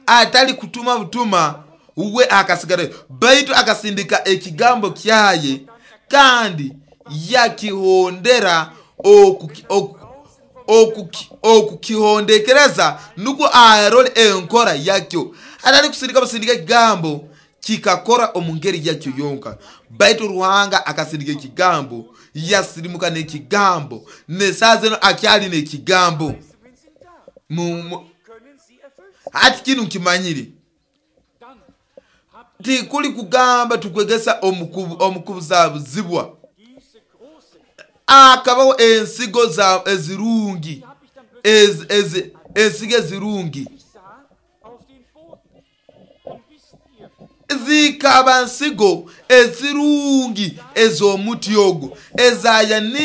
atali kutuma butuma uwe akasigara, baitu akasindika ekigambo kyaye kandi yakihondera okukihondekereza nukwo arole enkora yakyo. Atali kusindika busindika ekigambo kikakora omu ngeri yakyo yonka, baitu Ruhanga akasindika ekigambo, yasirimuka n'ekigambo, n'esaaha zino akyali n'ekigambo. Hati kinu nkimanyire, tikuli kugamba tukwegesa omukubuzabuzibwa. Akabaho ensigo za ezirungi, ensigo ezirungi zikaba nsigo ezirungi ez'omuti ogwo,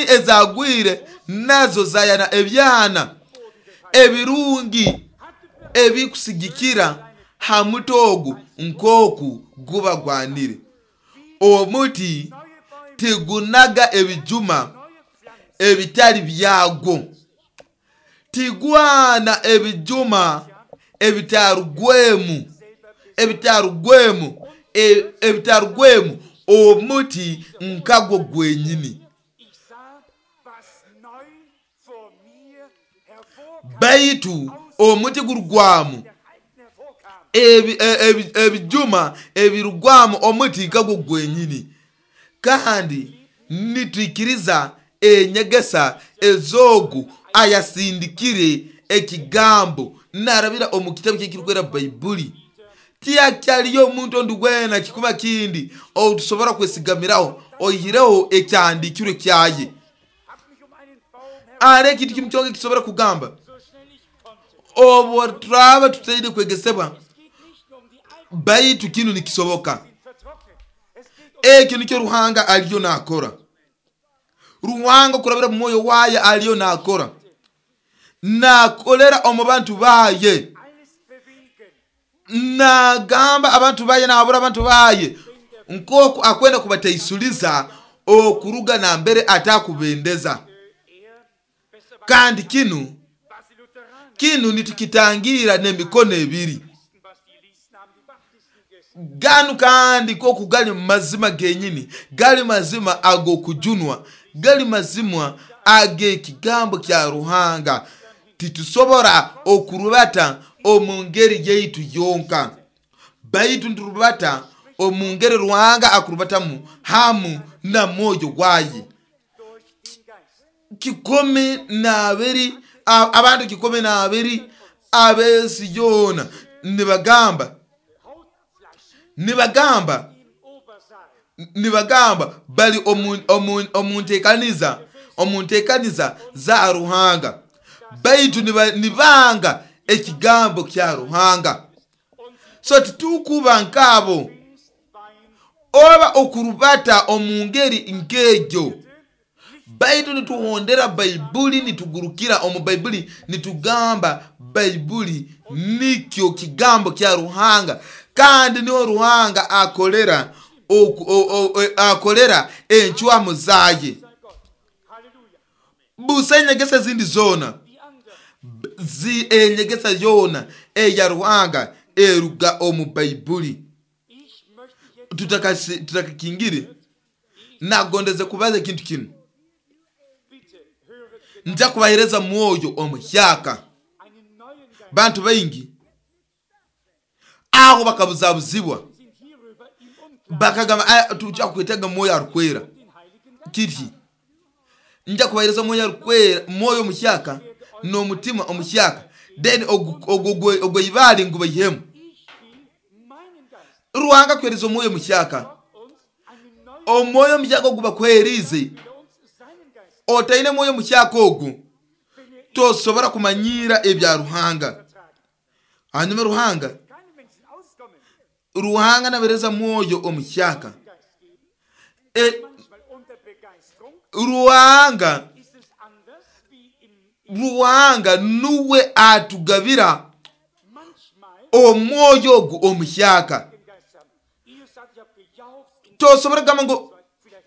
ezagwire nazo zayana ebyana ebirungi ebikusigikira ha muti ogwo nk'oku guba gwanire. Omuti tigunaga ebijuma ebitali byagwo, tigwana ebijuma ebitarugwemu, ebitarugwemu, ebitarugwemu omuti nkagwo gwenyini. Baitu omuti gurugwamu ebijuma ebirugwamu omuti nkagwo gwenyini. Kandi nitwikiriza enyegesa ez'ogu ayasindikire ekigambo narabira omu kitabu kyekirikwera Baibuli. Tiyakyaliyo omuntu ondi gwena kikuba kindi otusobora kwesigamiraho oihireho ekyahandikirwe kyaye. Ari ekintu kimu kyonka ekisobora kugamba obu turaba tutaine kwegesebwa, baitu kinu nikisoboka. Ekyo nikyo Ruhanga aliyo nakora. Ruhanga kurabira mu mwoyo waye aliyo nakora, nakolera omu bantu baye, nagamba abantu baye, nahabura abantu baye nkoku akwenda kubataisuliza okuruga nambere atakubendeza. Kandi kinu nitukitangira n'emikono ebiri. Ganu kandi koku gali mazima genyini, gali mazima ag'okujunwa, gali mazima ag'ekigambo kya Ruhanga. Titusobora okurubata omu ngeri yaitu yonka, baitu nturubata omu ngeri Ruhanga akurubatamu hamu na mwoyo gwaye. 12 abantu 12 ab'ensi yoona nibagamba Nibagamba bali omu nteekaniza za Ruhanga, baitu nibanga ekigambo kya Ruhanga. So titukuba nk'abo oba okurubata omu ngeri nk'egyo, baitu nituhondera Baibuli, nitugurukira omu Baibuli, nitugamba Baibuli nikyo kigambo kya Ruhanga, kandi niho Ruhanga akolera akolera encwamu zaye. Busa enyegesa ezindi zoona, enyegesa yoona eya Ruhanga eruga omu Baibuli. Tutakakingire, nagondeze kubaza ekintu kinu. Nja kubahereza mwoyo omuhyaka. Bantu baingi aho bakabuzabuzibwa, bakagamba tujja kwetega mwoyo arukwera. Kiti nja kubahereza mwoyo arukwera, mwoyo omuhyaka n'omutima omuhyaka, then ogwo ibali ngu baihemu. Ruhanga kuhereza omwoyo omuhyaka, omwoyo omuhyaka ogu bakuherize. Otaine mwoyo omuhyaka ogu tosobora kumanyira ebya Ruhanga. Hanyuma Ruhanga nabereza mwoyo omuhyaka. Ruhanga nuwe atugabira omwoyo ogu omuhyaka. Tosobora kugamba ngu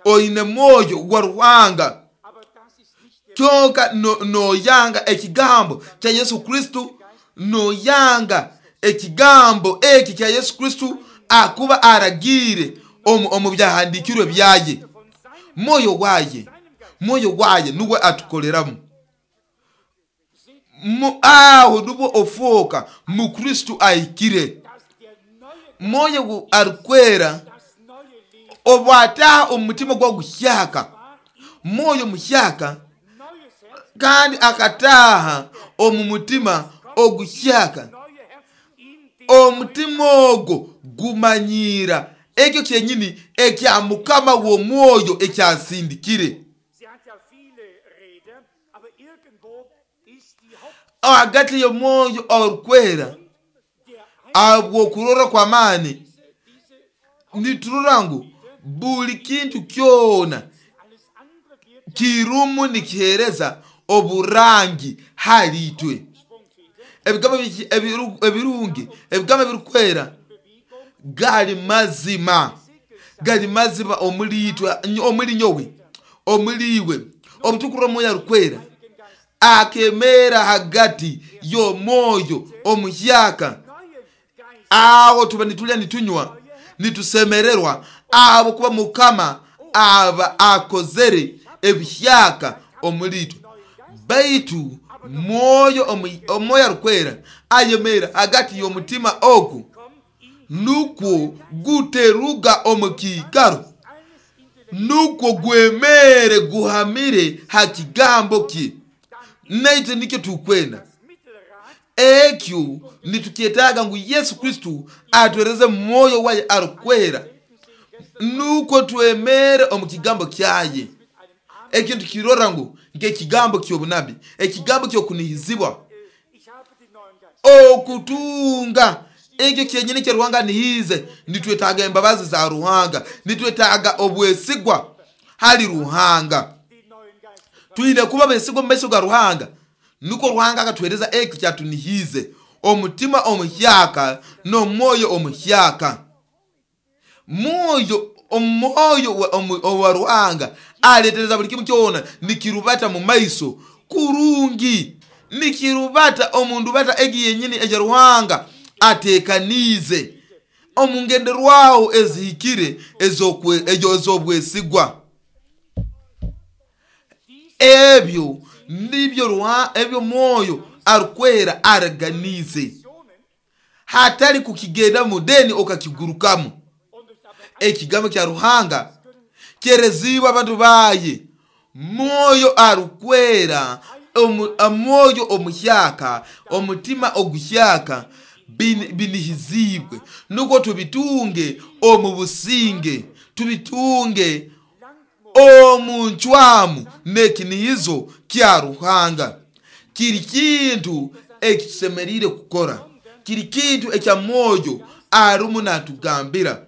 oine mwoyo gwa Ruhanga kyonka noyanga ekigambo kya Yesu Kristo, noyanga ekigambo eki kya Yesu Kristo akuba aragire omu byahandikirwe byaye. Mwoyo waye nuwe atukoleramu. Aho nubwo ofoka Mukristo ahikire. Mwoyo arukwera obwataha omu mutima gwa guhyaka, mwoyo muhyaka, kandi akataha omu mutima oguhyaka. Omutima ogwo gumanyira ekyo kyenyini ekya Mukama w'omwoyo ekyasindikire. Hagati y'omwoyo orukwera abw'okurora kw'amaani, niturora ngu buli kintu kyona kirumu nikihereza oburangi hali itwe. Ebigambo ebirungi, ebigambo ebirukwera gali mazima, gali mazima omuli itwe, omuli nyowe, omuli iwe. Obutukurora omwoyo arukwera akemera hagati y'omwoyo omuhyaka, aho tuba nitulya nitunywa nitusemererwa abo kuba Mukama aba akozere ebihyaka omuli itwe. Baitu omwoyo arukwera ayemera hagati y'omutima ogu, nukwo guteruga omu kiikaro, nukwo gwemere guhamire ha kigambo kye. Naitwe nikyo tukwenda. Ekyo nitukyetaaga ngu Yesu Kristo atwereze mwoyo waye arukwera, nukwo twemere omu kigambo kyaye. Ekintu kirora ngu nk'ekigambo ky'obunabi, ekigambo ky'okunihizibwa, okutunga ekyo kyenyini kya Ruhanga nihize. Nitwetaaga embabazi za Ruhanga, nitwetaaga obwesigwa hali Ruhanga. Twine kuba besigwa omu maiso ga Ruhanga, nukwo Ruhanga akatuhereza ekyo kyatunihize, omutima omuhyaka n'omwoyo omuhyaka. Omwoyo wa Ruhanga aletereza buli kimu kyona nikirubata mu maiso kurungi, nikirubata omu ndubata egi yenyini eya Ruhanga atekaniize omu ngenderwaho ezihikire ez'obwesigwa. Ebyo nibyo ebyo mwoyo arukwera araganize, hatali kukigendamu deni okakigurukamu. Ekigambo kya Ruhanga kyerezibwa abantu baye. Mwoyo arukwera, omwoyo omuhyaka, omutima oguhyaka binihizibwe, nukwo tubitunge omu businge. Tubitunge omu ncwamu n'ekinihizo kya Ruhanga. Kiri kintu ekitusemeriire kukora, kiri kintu ekya Mwoyo arumu natugambira.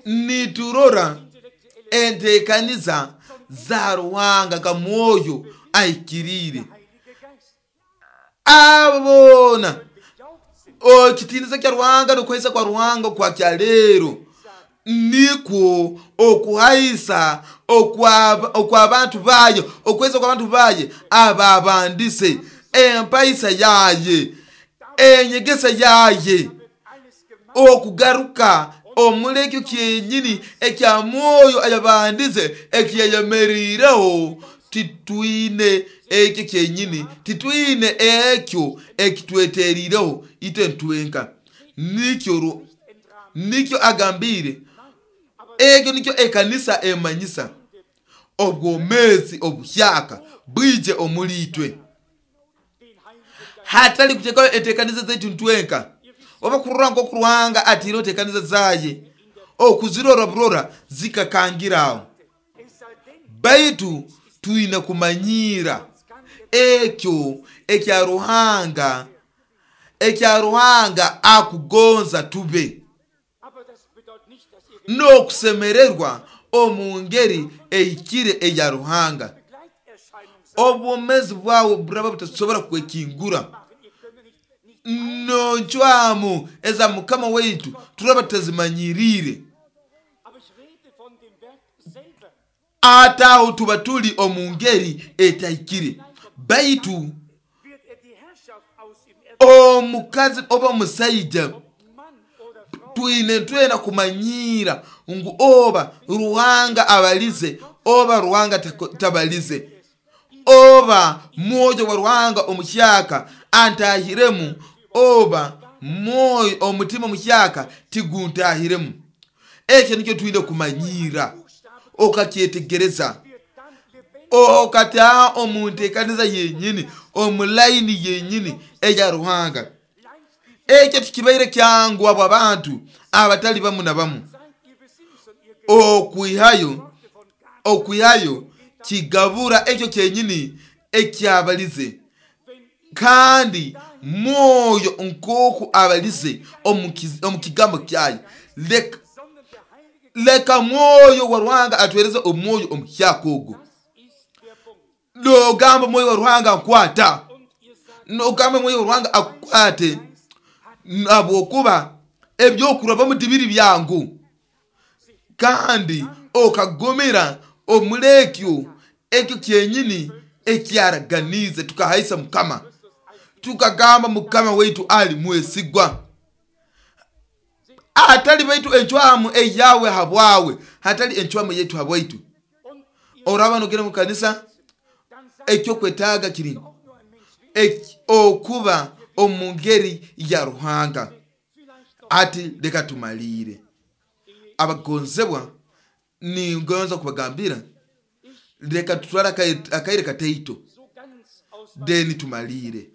Niturora entekaniza za Ruhanga nka Mwoyo ahikiriire. Abo boona ekitiinisa kya Ruhanga n'okuhaisa kwa Ruhanga kwa kyaleero nikwo okuhaisa okw'abantu bayo, okuhaisa kw'abantu baye ababandise empaisa yaye, enyegesa yaye, okugaruka omuri ekyo kyenyini ekya Mwoyo ayabandize ekiyayemeriireho. Titwine ekyo kyenyini, titwine ekyo ekitweteriireho itwe ntwenka. Nikyo agambire, ekyo nikyo ekanisa emanyisa obwomezi obuhyaka bwije omuri itwe, hatali kuteekaho enteekaniza zaitu ntwenka. Oba kurora nk'oku Ruhanga atiireho enteekaniza zaye, okuzirora burora zikakangiraho, baitu twine kumanyiira ekyo ekya Ruhanga, ekya Ruhanga akugonza tube n'okusemererwa omu ngeri ehikire eya Ruhanga. Obwomezi bwawe buraba butasobora kwekingura noncwamu eza Mukama waitu turaba tutazimanyiriire. Ataho tuba tuli omu ngeri etahikire, baitu omukazi oba omusaija twine twena kumanyiira ngu oba Ruhanga abalize oba Ruhanga tabalize, oba Mwoyo wa Ruhanga omuhyaka antahiremu oba mwoyo omutima omuhyaka tiguntahiremu. Ekyo nikyo twine kumanyiira, okakyetegereza, okataaha omu nteekaniza yenyini, omu layini yenyini eya Ruhanga. Ekyo tikibaire kyangu abo abantu abatali bamu na bamu okwihayo kigabura ekyo kyenyini ekyabalize, kandi Mwoyo nk'oku abalize omu kigambo kyayo. Leka Mwoyo wa Ruhanga atwereze omwoyo omuhyaka ogwo. Nogamba Mwoyo wa Ruhanga nkwata, nogamba Mwoyo wa Ruhanga akukwate, habwokuba ebyokurabamu tibiri byangu, kandi okagumira omuri ekyo ekyo kyenyini ekyaraganize. Tukahaisa Mukama, tukagamba Mukama waitu ali mwesigwa, atali baitu encwamu eyawe habwawe, hatali encwamu yaitu habwaitu. Oraba nogenda mu kanisa, ekyokwetaaga kiri okuba omu ngeri ya Ruhanga. Ati leka tumaliire. Abagonzebwa, ningonza kubagambira, leka tutwale akaire kataito deni tumaliire.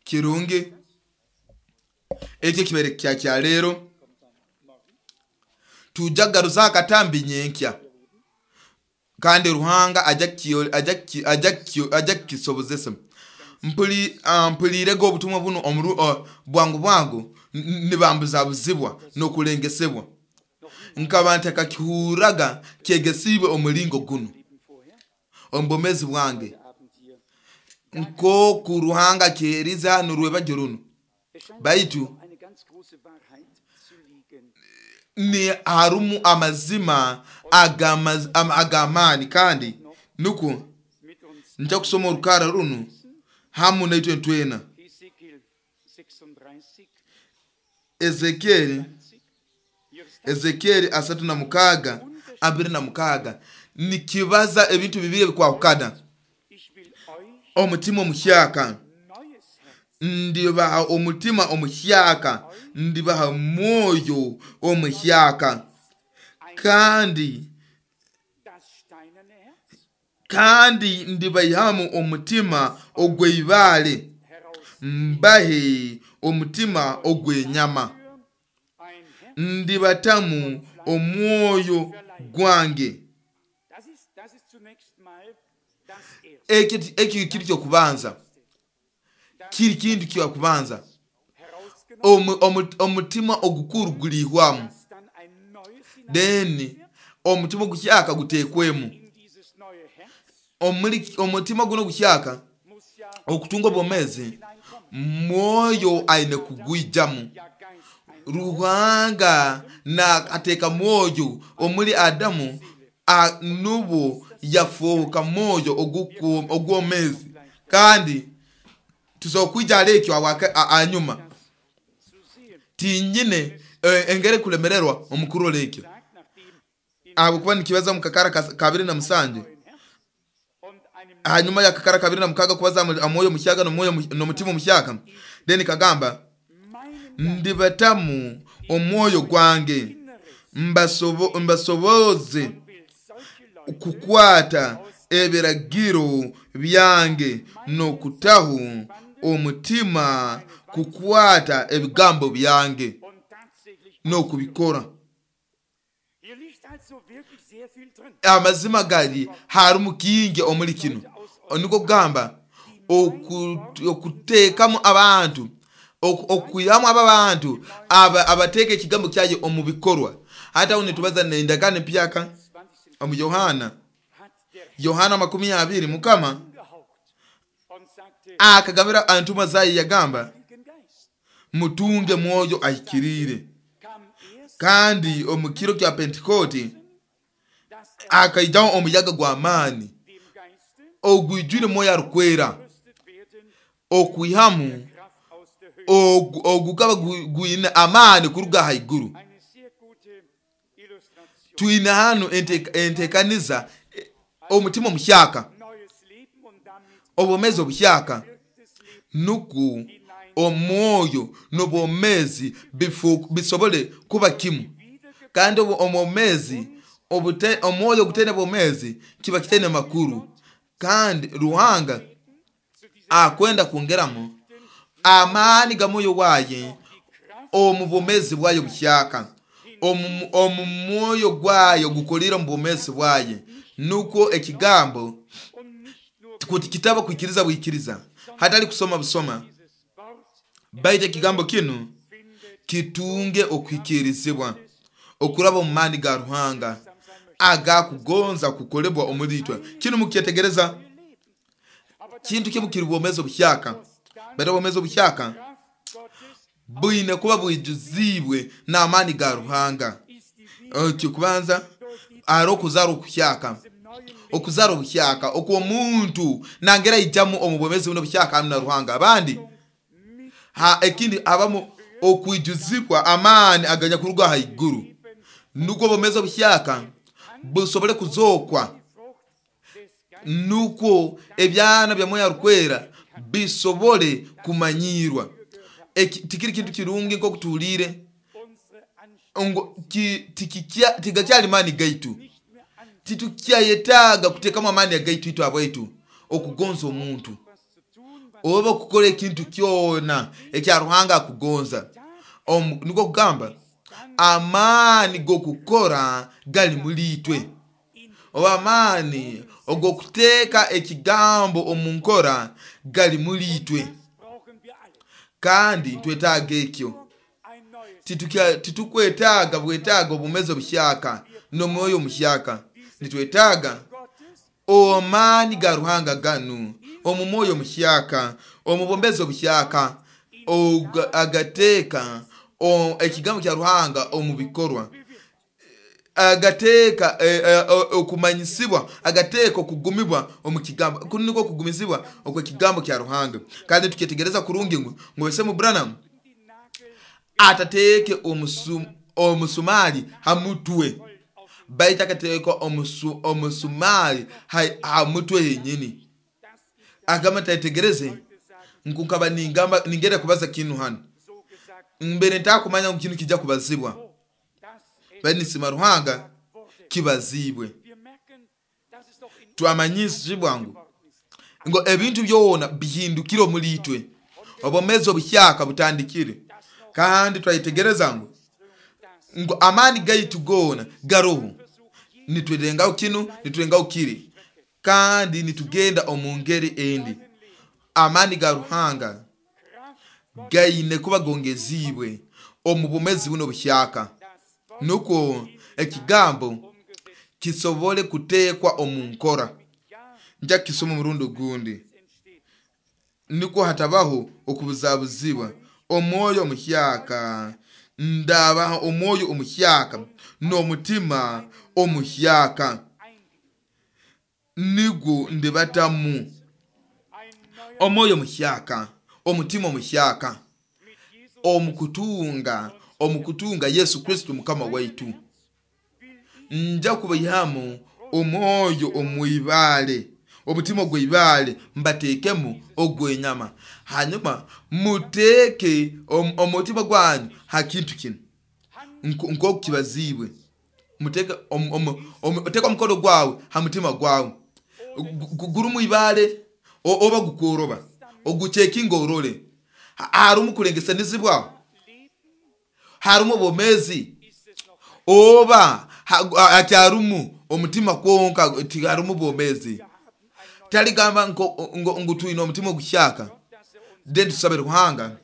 Kirungi ekyo kibaire kya kyaleero. Tujja kugaruza akatambi nyenkya, kandi Ruhanga ajja kukisobozesa. Mpulirege obutumwa buno bwangu bwangu, nibambuzabuzibwa n'okulengesebwa, nkaba ntakakihurraga kyegesiibwe omulingo guno omu bwomeezi bwange, nk'oku Ruhanga akyerize hanu rwebagyo runo. Baitu ni harumu amazima ag'amaani, kandi nukwo nja kusoma orukara runu hamu naitwe ntwena. Ezekieli 36 26 nikibaza ebintu bibiri ebikwahukana. Omutima omuhyaka, ndibaha omutima omuhyaka, ndibaha mwoyo omuhyaka, kandi ndibaihamu omutima ogw'eibaale Mbahe omutima ogw'enyama, Ein Herz, ndibatamu omwoyo gwange. das ist zunächst mal das Erste. Ekyo kiri kyokubanza, kiri kintu kyakubanza. Herausgenommen, Omutima ogukuru gulihwamu, dass dann ein neues then hineingesetzt omutima ogukyaka guteekwemu. wird in dieses neue Herz, Omutima guno ogukyaka muss ja okutunga obwomezi, hineinkommen. mwoyo aine kugwijamu. Ja, Geist ein Ruhanga na ateeka mwoyo omuli Adamu, nubwo yafuuka mwoyo ogwomezi. Kandi tusobola kwija hali ekyo anyuma zu sehen. tinyine engeri kulemererwa omukurora ekyo, Sagt, nachdem in ahabwokuba nikibaza mu kakara 27, neuen Herz und einem hanyuma ya kakara 26 kubaza omwoyo omuhyaka n'omutima omuhyaka, then kagamba meinen ndibatamu omwoyo gwange, Inneres mbasoboze will solche Leute kukwata ebiragiro byange n'okutaho omutima kukwata ebigambo byange und tatsächlich n'okubikora. Hier liegt also wirklich sehr viel drin. Amazima gali harimu kingi omuri kino, niko kugamba okuteekamu abantu, okwihamu aba bantu abateeka ekigambo kyaye omu bikorwa. Hati aho nitubaza n'endagaano empyaka 20. omu Yohana, Hat der Yohana 20, Mukama angehaucht und sagte, akagambira entumwa zaye yagamba, Heiligen Geist mutunge mwoyo ahikiriire. kam erst, Kandi omu kiro kya Pentekooti dass er akaijaho omuyaga gw'amaani dem Geiste ogwijwire mwoyo arukwera, gerüstet werden, okwihamu Kraft aus der Höhe. ogukaba gwine amaani kuruga haiguru. Eine sehr gute Illustration. Twine hanu enteekaniza, omutima omuhyaka, Neues Leben und damit obwomezi obuhyaka, wirktes Leben nuku omwoyo n'obwomezi bisobole kuba kimu. wiedergeboren Kandi omwomezi omwoyo ogutaine bwomezi kiba kitaine makuru. Kandi Ruhanga zu dieser akwenda kwongeramu amaani ga mwoyo waye die Kraft omu bwomezi bwayo buhyaka, omu mwoyo gwayo gukolire omu bwomezi bwaye, nukwo ekigambo und nicht nur kuti kitaba kwikiriza bwikiriza, hatali kusoma busoma, dieses Wort baitu ekigambo kinu findet kitunge okwikirizibwa okuraba omu maani ga Ruhanga agakugonza kukolebwa omuri itwe. Kinu mukyetegereza, Leben. Aber das kintu kimu kiri bwomezi obuhyaka, baitu obwomezi obuhyaka Kraft Gottes bwine kuba bwijuziibwe n'amaani ga Ruhanga. ist die Ekyokubanza ari okuzaara okuhyaka, diesem neuen Leben okuzaara obuhyaka okw'omuntu nangera aijamu omu bwomezi buno obuhyaka hamu na Ruhanga. Abandi mit ekindi abamu okwijuzibwa amaani aganyakuruga haiguru, nukwo obwomezi obuhyaka busobole kuzookwa, die Frucht des Geistes nukwo ebyana bya mwoyo arukwera bisobole kumanyirwa. Tikiri kintu kirungi nk'okutuhuliire unsere Anstrengung ngo tigakyali maani gaitu, nicht mehr an titukyayetaaga kuteekamu amaani agaitu itwe abwaitu okugonza omuntu was zu tun, was oba okukora ekintu kyona ekya Ruhanga akugonza. Niko kugamba amaani g'okukora gali muri itwe, oba amaani og'okuteeka ekigambo omu nkora gali muri itwe, das brauchen wir alle. kandi twetaaga ekyo. Ein neues Titukwetaaga bwetaaga obumezi obuhyaka n'omwoyo omuhyaka, nitwetaaga Gottes amaani ga Ruhanga ganu omu mwoyo omuhyaka, omu bwombezi obuhyaka, agateeka ekigambo kya Ruhanga omu bikorwa, agateeka okumanyisibwa, agateeka okugumibwa omu kigambo. Kunu nikwo okugumizibwa okw'ekigambo kya Ruhanga. Kandi tukyetegereza kurungi ngu Wesemu Branham die Nagel atateeke omusumali ha mutwe, baitu akateeka omusumali ha mutwe henyini. das ich Agamba ntayetegereze heute sagen, ngu nkaba ningenda kubaza kinu hano, so gesagt, mbere ntakumanya ngu kinu kijja kubazibwa, dass es bali nisima Ruhanga wurde. kibazibwe. Wir merken, dass es doch in Twamanyisibwa ngu geworden ist. ngo ebintu byona bihindukire omuri itwe. Obwomeezi obuhyaka butandikire. Kandi twayetegereza ngu amaani gaitu goona garoho, nitwerengaho kinu, nitwerengaho kiri, kandi nitugenda omu ngeri endi. Amaani ga Ruhanga gaine kuba gongeziibwe omu bwomeezi buno obuhyaka, nukwo ekigambo kisobole kuteekwa omu nkora. Nja kukisoma omurundi ogundi, nukwo hatabaho okubuzabuzibwa. Omwoyo omuhyaka, ndabaha omwoyo omuhyaka n'omutima omuhyaka, nigwo ndibatamu. Omwoyo omuhyaka, omutima omuhyaka, omukutunga Yesu Kristo Mukama waitu. Nja kubaihamu omwoyo omwibale, omutima ogw'ibale, mbateekemu ogw'enyama. Hanyuma muteeke omutima gwanyu ha kintu kinu nk'oku kibaziibwe. Muteeke oteeke omukono gwawe ha mutima gwawe, gurumu ibale oba gukworoba, ogucekinga orole harumu kulengesanizibwa, harumu obwomeezi, oba hakyarumu omutima kwonka, tiharumu bwomeezi. Taligamba ngu twine omutima oguhyaka. Then tusabe Ruhanga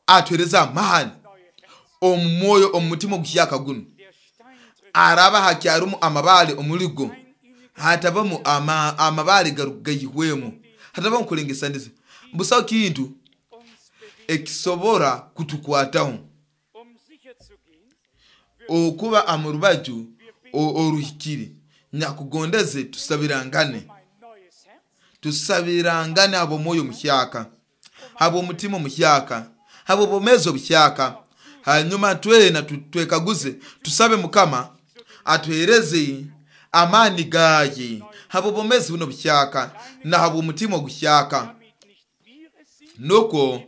atuhereze amaani omu mwoyo, omu mutima oguhyaka guno. Araba hakyarumu amabale omuligo, hatabamu amabale gaihwemu, hatabamu kulengesaniza. Busaho kintu ekisobora kutukwataho okuba amurubaju oruhikire. Nyakugondeze tusabirangane, tusabirangane habw'omwoyo omuhyaka, habw'omutima omuhyaka, habw'obwomeezi obuhyaka. Hanyuma twena twekaguze, tusabe Mukama atuhereze amaani gaye habw'obwomeezi buno obuhyaka na habw'omutima oguhyaka, nukwo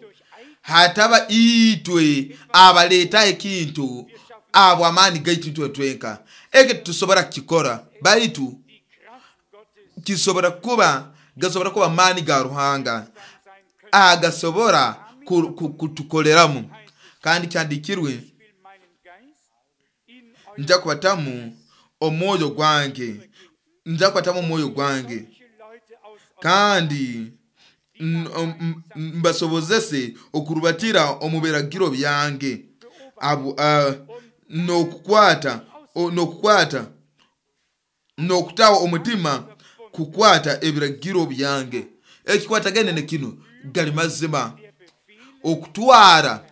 hataba itwe abaleetaho ekintu abo amaani gaitu itwe twenka. Eki tusobora kukikora, baitu kisobora kuba, gasobora kuba amaani ga Ruhanga agasobora kutukoleramu. Kandi kyandikirwe, nja kubatamu omwoyo gwange, nja kubatamu omwoyo gwange, kandi mbasobozese okurubatira omu biragiro byange, n'okukwata n'okutaho omutima kukwata ebiragiro byange. Ekikwatagene ne kinu gali mazima, okutwara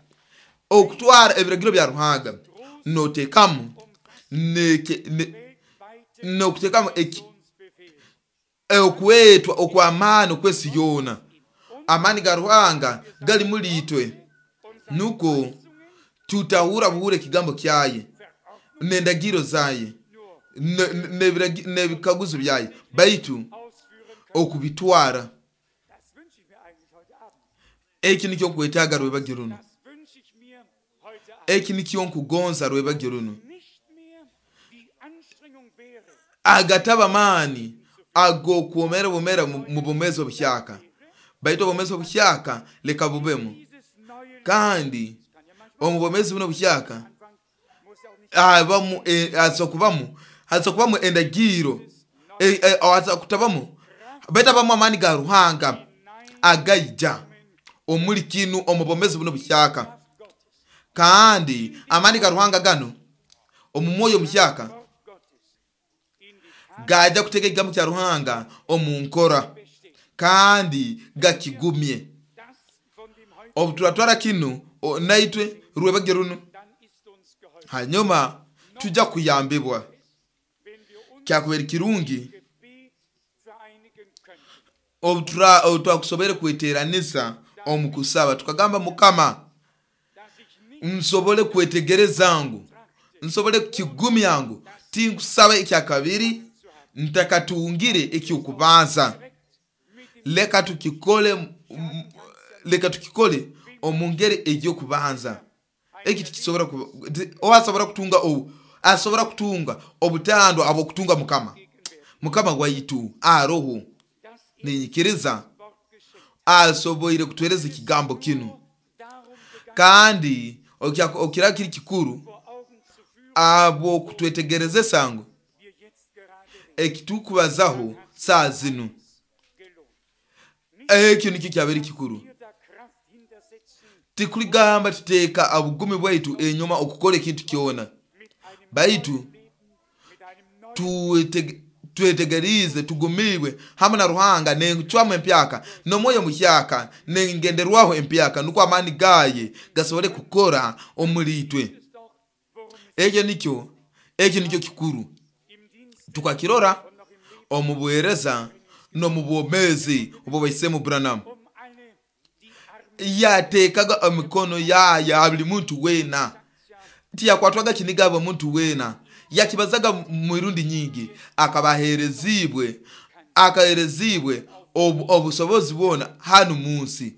ebiragiro bya Ruhanga notekamu n'okutekamu okwetwa okw'amaani okw'ensi yoona. Amaani ga Ruhanga gali muri itwe, nukwo tutahura buhure ekigambo kyaye n'endagiro zaye n'ebikaguzo byaye, baitu okubitwara. Eki nikyo nkwetaaga rwebagyo runo, eki nikyo nkugonza rwebagyo runo. Agataba maani ag'okwomera bumera mu bwomeezi obuhyaka, baitu obwomeezi obuhyaka leka bubemu. Kandi omu bwomeezi buno obuhyaka haza kubamu endagiro, haza kutabamu, baitu abamu amaani ga Ruhanga agaija omuli kinu omu bwomeezi buno obuhyaka. Kandi amaani ga Ruhanga gano omu mwoyo omuhyaka gaja kuteeka ekigambo kya Ruhanga omu nkora kandi gakigumye. Obu turatwara kinu naitwe rwebagyo runo, hanyuma tujja kuyambibwa. Kyakubera kirungi obu twakusobere kweteranisa omu kusaba, tukagamba Mukama nsobole kwetegereza ngu, nsobole kukigumya ngu tinkusaba ekyakabiri ntakatungire ekyokubanza. Leka tukikole omu ngeri ey'okubanza. Eki tikisobora kuba, asobora kutunga asobora kutunga obutandwa abw'okutunga Mukama. Mukama waitu aroho, ninyikiriza asoboire kutuhereza ekigambo kinu. Kandi okira kiri kikuru abw'okutwetegerezesa ngu ekitukubazaho saa zinu ekyo nikyo kyabere kikuru. Tikuligamba tuteeka obugumi bwaitu enyuma okukora ekintu kyona, baitu twetegerize tugumibwe hamu na Ruhanga n'encwamu empyaka n'omwoyo muhyaka n'engenderwaho empyaka, nukwo amaani gaye gasobole kukora omuli itwe. Ekyo nikyo kikuru. Tukakirora omu buheereza n'omu bwomeezi obw'Owaisemu Branham. Yateekaga emikono yaye ha buli muntu weena, tiyakwatwaga kiniga buli muntu weena, yakibazaga mirundi nyingi. Akabaherezibwe akaherezibwe obusobozi bwona hanu munsi,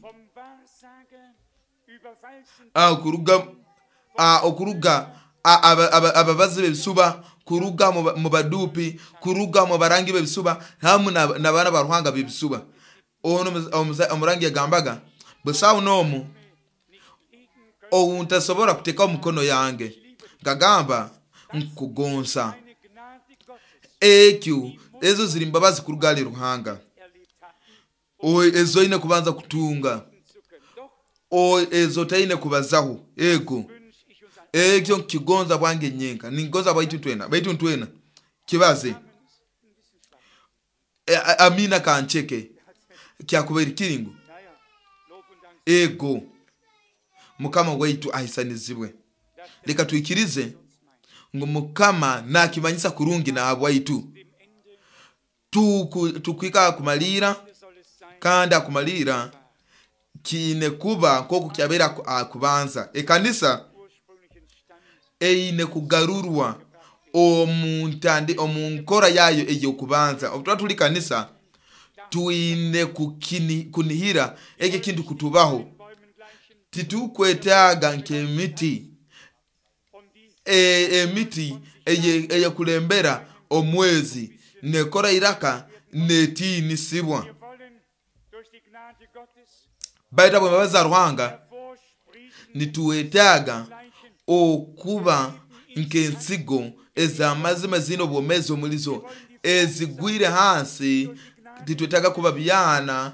okuruga ababazi b'ebisuba, kuruga mu badupi, kuruga mu barangi b'ebisuba hamu n'abaana ba Ruhanga b'ebisuba. Ono omurangi yagambaga, busaho n'omu ountasobora kuteekaho omukono yange, nkagamba nkugonza. Ekyo ezo ziri mbabazi kuruga hali Ruhanga, ezo oine kubanza kutunga, ezo taine kubazaho. Ego ekyo nkigonza bwange nyenka, ningonza baitu ntwena, baitu ntwena kibaze amina kancheke kyakubaire kiringo. Ego Mukama waitu ahisanizibwe. Leka twikirize ngu Mukama nakimanyisa kurungi na habwaitu. Tukwika akumalira, kandi akumalira kiine kuba nkoku kyabera akubanza. Ekanisa eine kugarurwa omu nkora yayo ey'okubanza. Obu tuli kanisa twine kunihira ekyo kintu kutubaho. Titukwetaaga nk'emiti, emiti eyekulembera omwezi nekora iraka netiinisibwa. Baitu abwembabazi za Ruhanga nituwetaaga okuba nk'ensigo ez'amazima zine obwomeezi omulizo ezigwire hansi. Titwetaaga kuba byana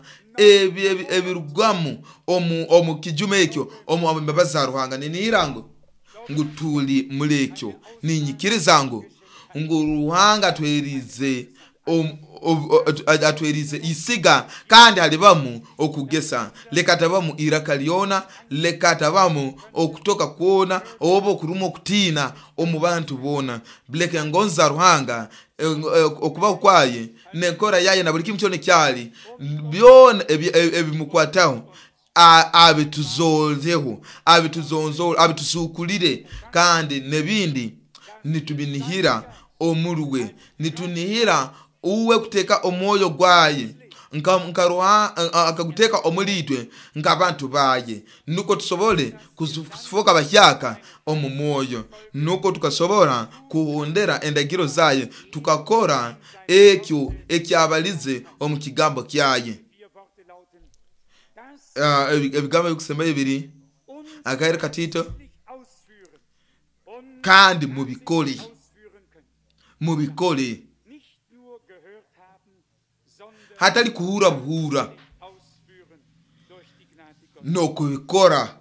ebirugamu omu kijuma ekyo omu mbabazi za Ruhanga. Ninihira ngu tuli muri ekyo. Ninyikiriza ngu Ruhanga atwerize isiga, kandi halibamu okugesa. Leka tabamu iraka lyona, leka tabamu okutoka kwona oba okuruma okutiina omu bantu boona. Leka engonzi za Ruhanga, okubaho kwaye n'enkora yaye na buli kimu kyona ekyali byona ebimukwataho abituzozeho, abituzonzole, abitusukulire, kandi n'ebindi nitubinihira omuruwe. Nitunihira uwe kuteeka omwoyo gwaye akaguteeka omuli itwe nk'abantu baye, nuko tusobole kufuuka bahyaka omu mwoyo, nuko tukasobora kuhondera endagiro zaye, tukakora ekyo ekyabalize omu kigambo kyaye. Ebigambo ebikusembayo biri akaire katito, kandi mubikole, mubikole, hatali kuhura buhura, nokubikora,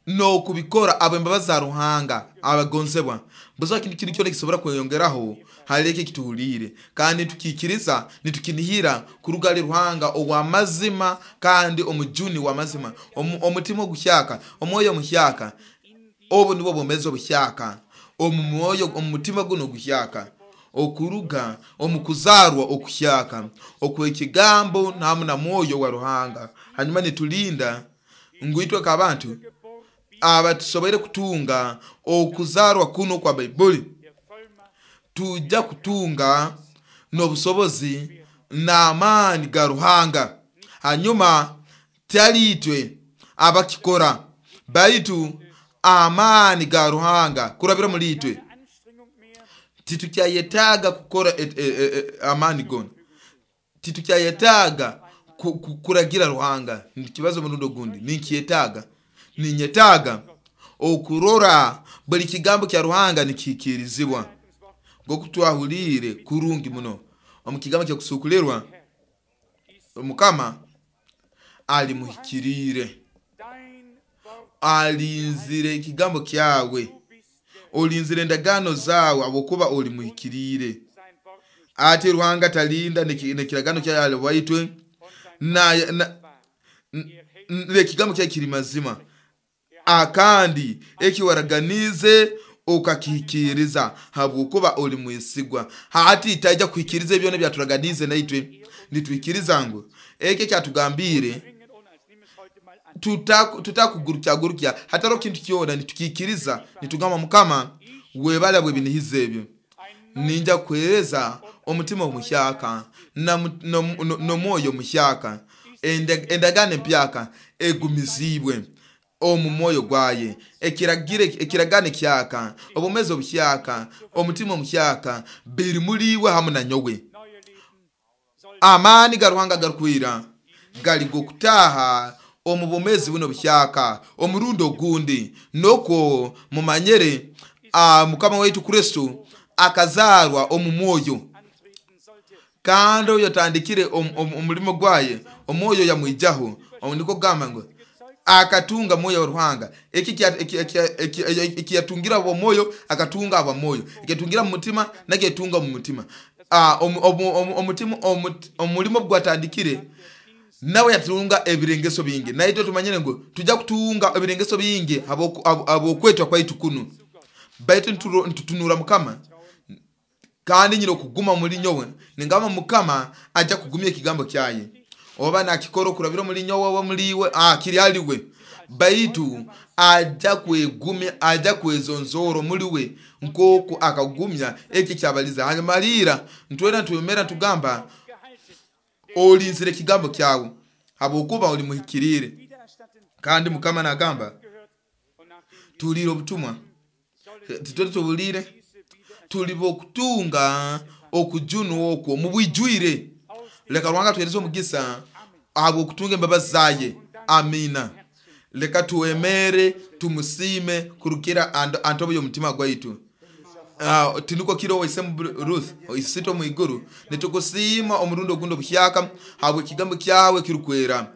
nokubikora. Abembabazi za Ruhanga abagonzebwa, busaho kintu kiri kyona kisobora kweyongeraho hali ekyo ekituhuliire, kandi nitukikiriza, nitukinihira kuruga hali Ruhanga ow'amazima kandi omujuni w'amazima, omutima oguhyaka, omwoyo omuhyaka. Obu nibwo bwomeezi obuhyaka omu mwoyo, omu mutima guno oguhyaka, okuruga omu kuzarwa okuhyaka okw'ekigambo hamu na mwoyo wa Ruhanga. Hanyuma nitulinda ngu itwe nk'abantu abatusoboire kutunga okuzarwa kuno kwa Baibuli, tujja kutunga n'obusobozi n'amaani ga Ruhanga. Hanyuma tali itwe abakikora, baitu amaani ga Ruhanga kurabira muri itwe. Titukyayetaaga kukora amaani gona, titukyayetaaga kuragira Ruhanga. Nikibazo omurundi ogundi, ninkyetaaga, ninyetaaga okurora buli kigambo kya Ruhanga nikihikirizibwa nk'oku twahuliire kurungi muno omu kigambo kyokusukulirwa. Mukama alimuhikiriire, alinzire ekigambo kyawe, olinzire endagaano zawe habwokuba oli muhikiriire. Ati Ruhanga talinda nekiragano kyaye waitwe nekigambo kyaye kiri mazima, akandi eki waraganize okakihikiriza habwokuba oli mwesigwa. Hati taija kuhikiriza ebyona byaturaganize naitwe nitwikiriza ngu eki kyatugambire tutakugurukyagurukya hataro kintu kyona, nitukikiriza nitugamba Mukama webala bwebinihiza ebyo, ninja kuhereza omutima omuhyaka n'omwoyo omuhyaka, endagaano empyaka egumizibwe omu mwoyo gwaye, ekiragano kyaka, obumezi obuhyaka, omutima omuhyaka biri muliwe hamu na nyowe. Amaani ga Ruhanga garukwira gali gokutaha omu bumezi buno buhyaka omurundi ogundi, nokwo mumanyere Mukama waitu Kristo akazarwa omu mwoyo, kandi oyo tandikire omulimo gwaye omwoyo yamwijaho. Niko gamba ngo akatunga mwoyo wa Ruhanga, eki yatungira abo mwoyo akatunga abo mwoyo, ekitungira mu mutima naketunga mu mutima. Omulimo gwatandikire nawe yatunga ebirengeso bingi, naitwe tumanyire ngo tujja kutunga ebirengeso bingi abokwetwa kwaitu kuno, baitu ntutunura Mukama kandi nyine okuguma muri nyowe. Ningamba Mukama ajja kugumya ekigambo kyaye, oba nakikora okurabira muri nyowe oba muriwe kiri aliwe, baitu ajja kwegumya, ajja kwezonzoro muriwe nkoku akagumya eki kyabaliza. Hanyuma alira ntwera ntwemera ntugamba olinzire ekigambo kyawe habwokuba oli muhikiriire. Kandi Mukama nagamba tulire obutumwa, titwe tubulire, tuli bokutunga okujunwa okwo mubwijwire. Leka Ruhanga tuhereze omugisa ahabw'okutunga embabazi zaye. Amina. Leka tuwemere tumusime kurukira antobo y'omutima gwaitu. Tiniko kiro waisemu Ruth oisito mwiguru, nitukusiima omurundi ogundi obuhyaka habw'ekigambo kyawe kirukwera,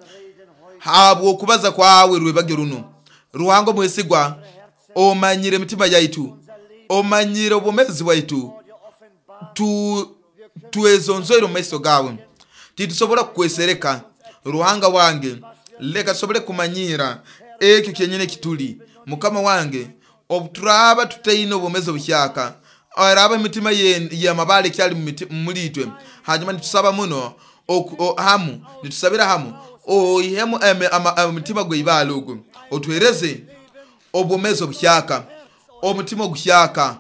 habw'okubaza kwawe rwebagyo runo. Ruhanga omwesigwa, omanyire emitima yaitu, omanyire obwomezi bwaitu, twezonzoire omu maiso gawe, titusobora kukwesereka. Ruhanga wange, leka tusobole kumanyira ekyo kyenyine kituli. Mukama wange, obuturaba tutaine obwomezi obuhyaka, araba emitima y'amabale kyali mulitwe, hanyuma nitusaba muno hamu, nitusabira hamu oihemu omutima gw'ibale ogwo, otuhereze obwomezi obuhyaka, omutima oguhyaka,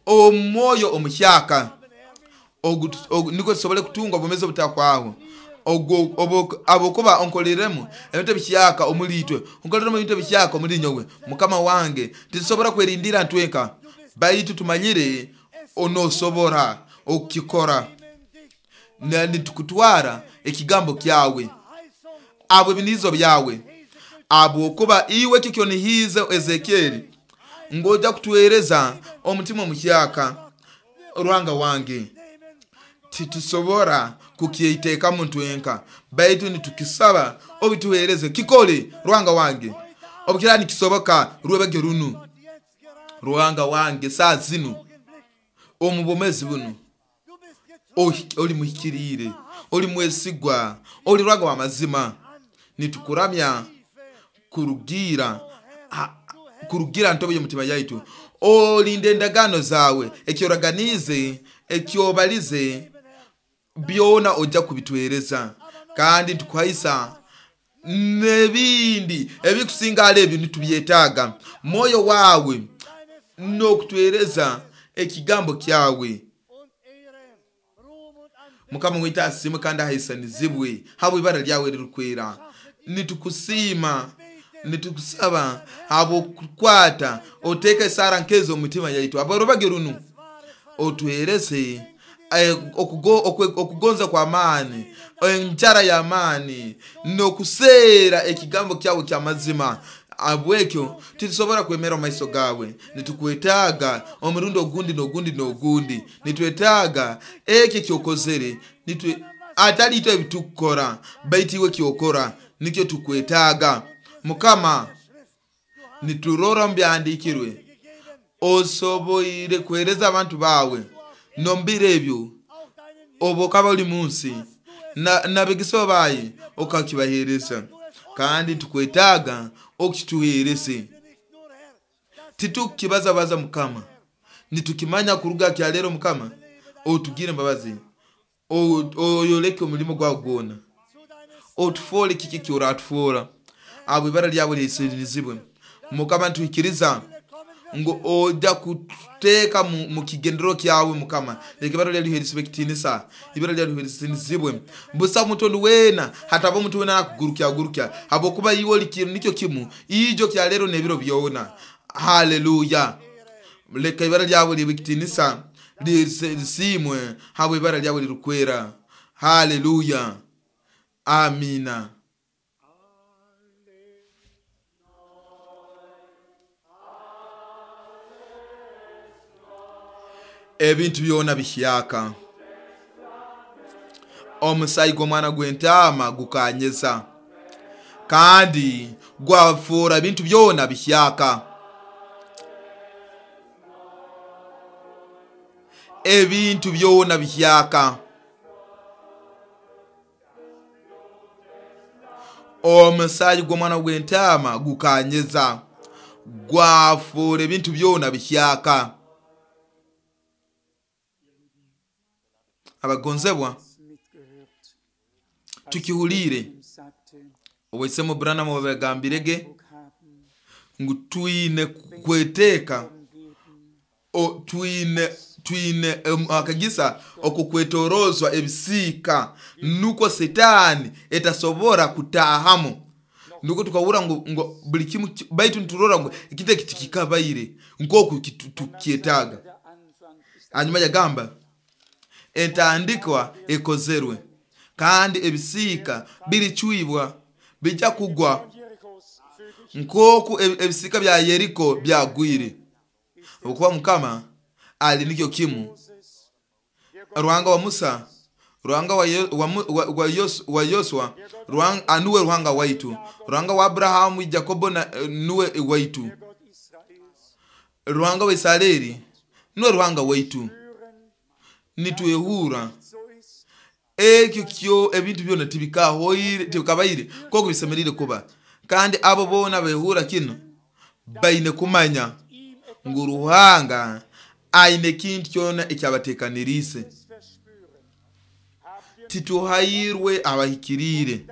omwoyo omuhyaka, niko tusobole kutunga obwomezi obutakwaho. Abokuba onkoleremu ebintu ebihyaka omulitwe, onkoleremu ebintu ebihyaka omuli nyowe. Mukama wange, titusobora kwerindira ntwenka, baitu tumanyire onosobora okukikora, nitukutwara ekigambo kyawe, abo ebinizo byawe, abokuba iwe kikyonihize Ezekieli ngoja kutuhereza omutima omuhyaka. Ruhanga wange, titusobora kukiiteekamu ntwenka, baitu nitukisaba obituhereze kikole. Ruhanga wange, obukira nikisoboka rwebage runu. Ruhanga wange, saa zinu omu bwomezi buno oli muhikiriire, oli mwesigwa, oli Ruhanga wa mazima. Nitukuramya kurugira ntobo y'omutima yaitu. Olinde endagaano zawe, ekyoraganize, ekyobalize, byona ojja kubitwereza. Kandi ntukuhaisa n'ebindi ebikusinga ale ebyo nitubyetaaga. Mwoyo wawe n'okutwereza ekigambo kyawe. Mukama waitu asiimwe kandi ahaisanizibwe habw'ibara lyawe ririkwera. Nitukusiima, nitukusaba habw'okukwata oteeka esaara nkezo omu mitima yaitu. Abarobage runu otuhereze Okugonza kw'amaani, enjara y'amaani, n'okuseera ekigambo kyawe ky'amazima. Abwekyo titusobora kwemera omu maiso gawe. Nitukwetaaga omurundi ogundi n'ogundi n'ogundi. Nitwetaaga ekyo ekyokozere, atali itwe ebitukukora, baitu iwe kyokora nikyo tukwetaaga. Mukama, niturora omu byahandiikirwe osoboire kuheereza abantu bawe n'omu biro ebyo obu okaba oli munsi n'abegeswa baye okakibaheereza, kandi tukwetaaga okituheereze. Titukukibazabaza Mukama, nitukimanya kuruga kyaleero. Mukama, otugire embabazi, oyoleke omulimo gwawe gwona, otufoole kiki ekyoratufoora, abo ibara lyawe lyesirinizibwe. Mukama, nituikiriza ngu ojja kuteeka mu kigendero kyawe. Mukama, leka ibara lyawe liheeresibwe ekitiinisa, ibara lyawe liheeresinizibwe. Busa omuntu weena, hataba omuntu weena akugurukya habwokuba iwe oli kintu nikyo kimu ijo kyaleero n'ebiro byona. Haleluya. Leka ibara lyawe libe ekitiinisa, lisiimwe habwa ibara lyawe lirikwera. Haleluya, amina. Ebintu byona bihyaka. Omusaayi gw'omwana gw'entaama gukanyeza kandi gwafuura ebintu byona bihyaka. Ebintu byona bihyaka. Omusaayi gw'omwana gw'entaama gukanyeza, gwafuura ebintu byona bihyaka. Abagonzebwa, tukihuliire owaisemu Branham wabagambirege ngu twine kweteeka, twine akagisa okukwetorozwa ebisiika nukwo Setaani etasobora kutaahamu. Nukwo tukahurra ngu buli kimu, baitu niturora ngu ekintu eki tikikabaire nk'oku tukyetaaga. Hanyuma yagamba entandikwa ekozerwe kandi ebisiika biricwibwa, bijja kugwa nk'oku ebisiika bya Yeriko byagwire. Habwokuba Mukama ali nikyo kimu, Ruhanga wa Musa, Ruhanga wa Yoswa, nuwe Ruhanga waitu. Ruhanga wa Abrahamu, Jakobo nuwe waitu. Ruhanga wa Isareri nuwe Ruhanga waitu. Nitwehura ekyo kyo ebintu byona tibikabaire nk'oku bisemeriire kuba. Kandi abo boona behura kino baine kumanya ngu Ruhanga aine ekintu kyona ekyabateekaniriise. Tituhairwe abahikiriire,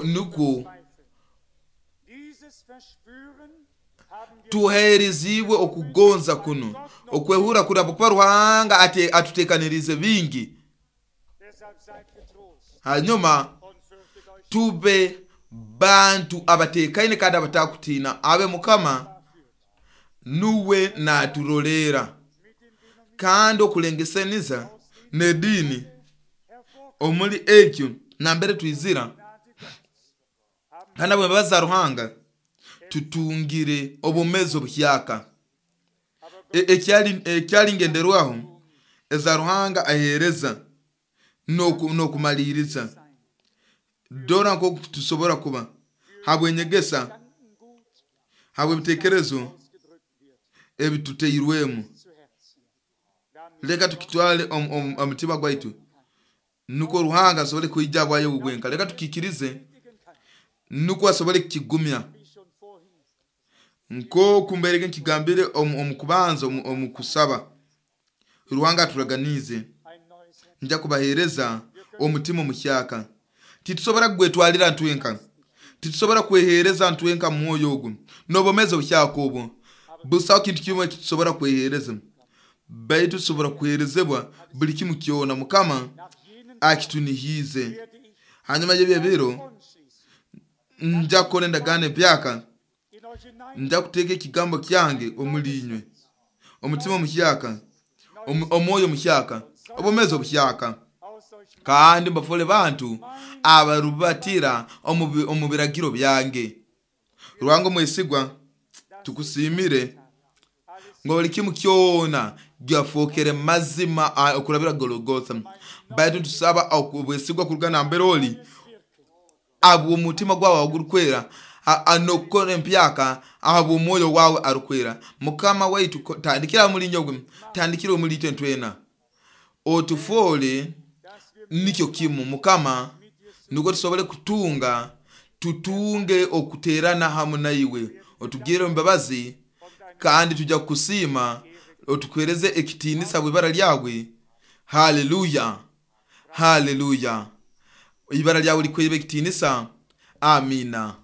nukwo tuheerezibwe okugonza kuno, okwehura kuri, habwokuba Ruhanga atuteekaniriize bingi. Hanyuma tube bantu abateekaine kandi abatakutiina, abe Mukama nuwe naturoleera. Kandi okulengesaniza n'ediini omuli ekyo nambere twizira, kandi abwembabazi za Ruhanga tutungire obwomeezi obuhyaka. Ekyali ngenderwaho eza Ruhanga aheereza n'okumaliiriza. Dora nk'oku tusobora kuba habw'enyegesa, habw'ebiteekerezo ebituteirwemu. Leka tukitwale omutima gwaitu nukwo Ruhanga asobole kwija bwayo bwenka. Leka tukikirize nukwo asobole kukigumya. Nk'oku mbairege nkigambire omu kubanza omu kusaba, Ruhanga aturaganiize nja kubaheereza omutima omuhyaka. Titusobora kugwetwalira ntwenka, titusobora kweheereza ntwenka mwoyo ogu n'obwomeezi obuhyaka obwo. Busaho kintu kimwe ekitusobora kweheereza, baitu tusobora kuheerezebwa buli kimu kyona Mukama akitunihiize. Hanyuma y'ebyo ebiro nja kukora endagaano empyaka, nja kuteeka ekigambo kyange omuli inywe, omutima omuhyaka, Omwoyo muhyaka, obwomeezi obuhyaka, kandi mbafole bantu abarubatira omu biragiro byange. Ruhanga omwesigwa, tukusiimire ngo buli kimu kyona gyafokere mazima okurabira Golgotha. Baitu tusaba obwesigwa kuruga nambere oli, abw'omutima gwawe ogurukwera, n'okukora empyaka ahabw'omwoyo wawe arukwera. Mukama waitu, tandikira muli nyowe, tandikira omuli itwe ntwena, otufoole nikyo kimu Mukama, nukwo tusobole kutunga, tutunge okuterana hamu naiwe. Otugirre embabazi, kandi tujja kukusiima, otukuhereze ekitiinisa bw'ibara lyawe. Haleluya, haleluya! Ibara lyawe likwebe ekitiinisa. Amina.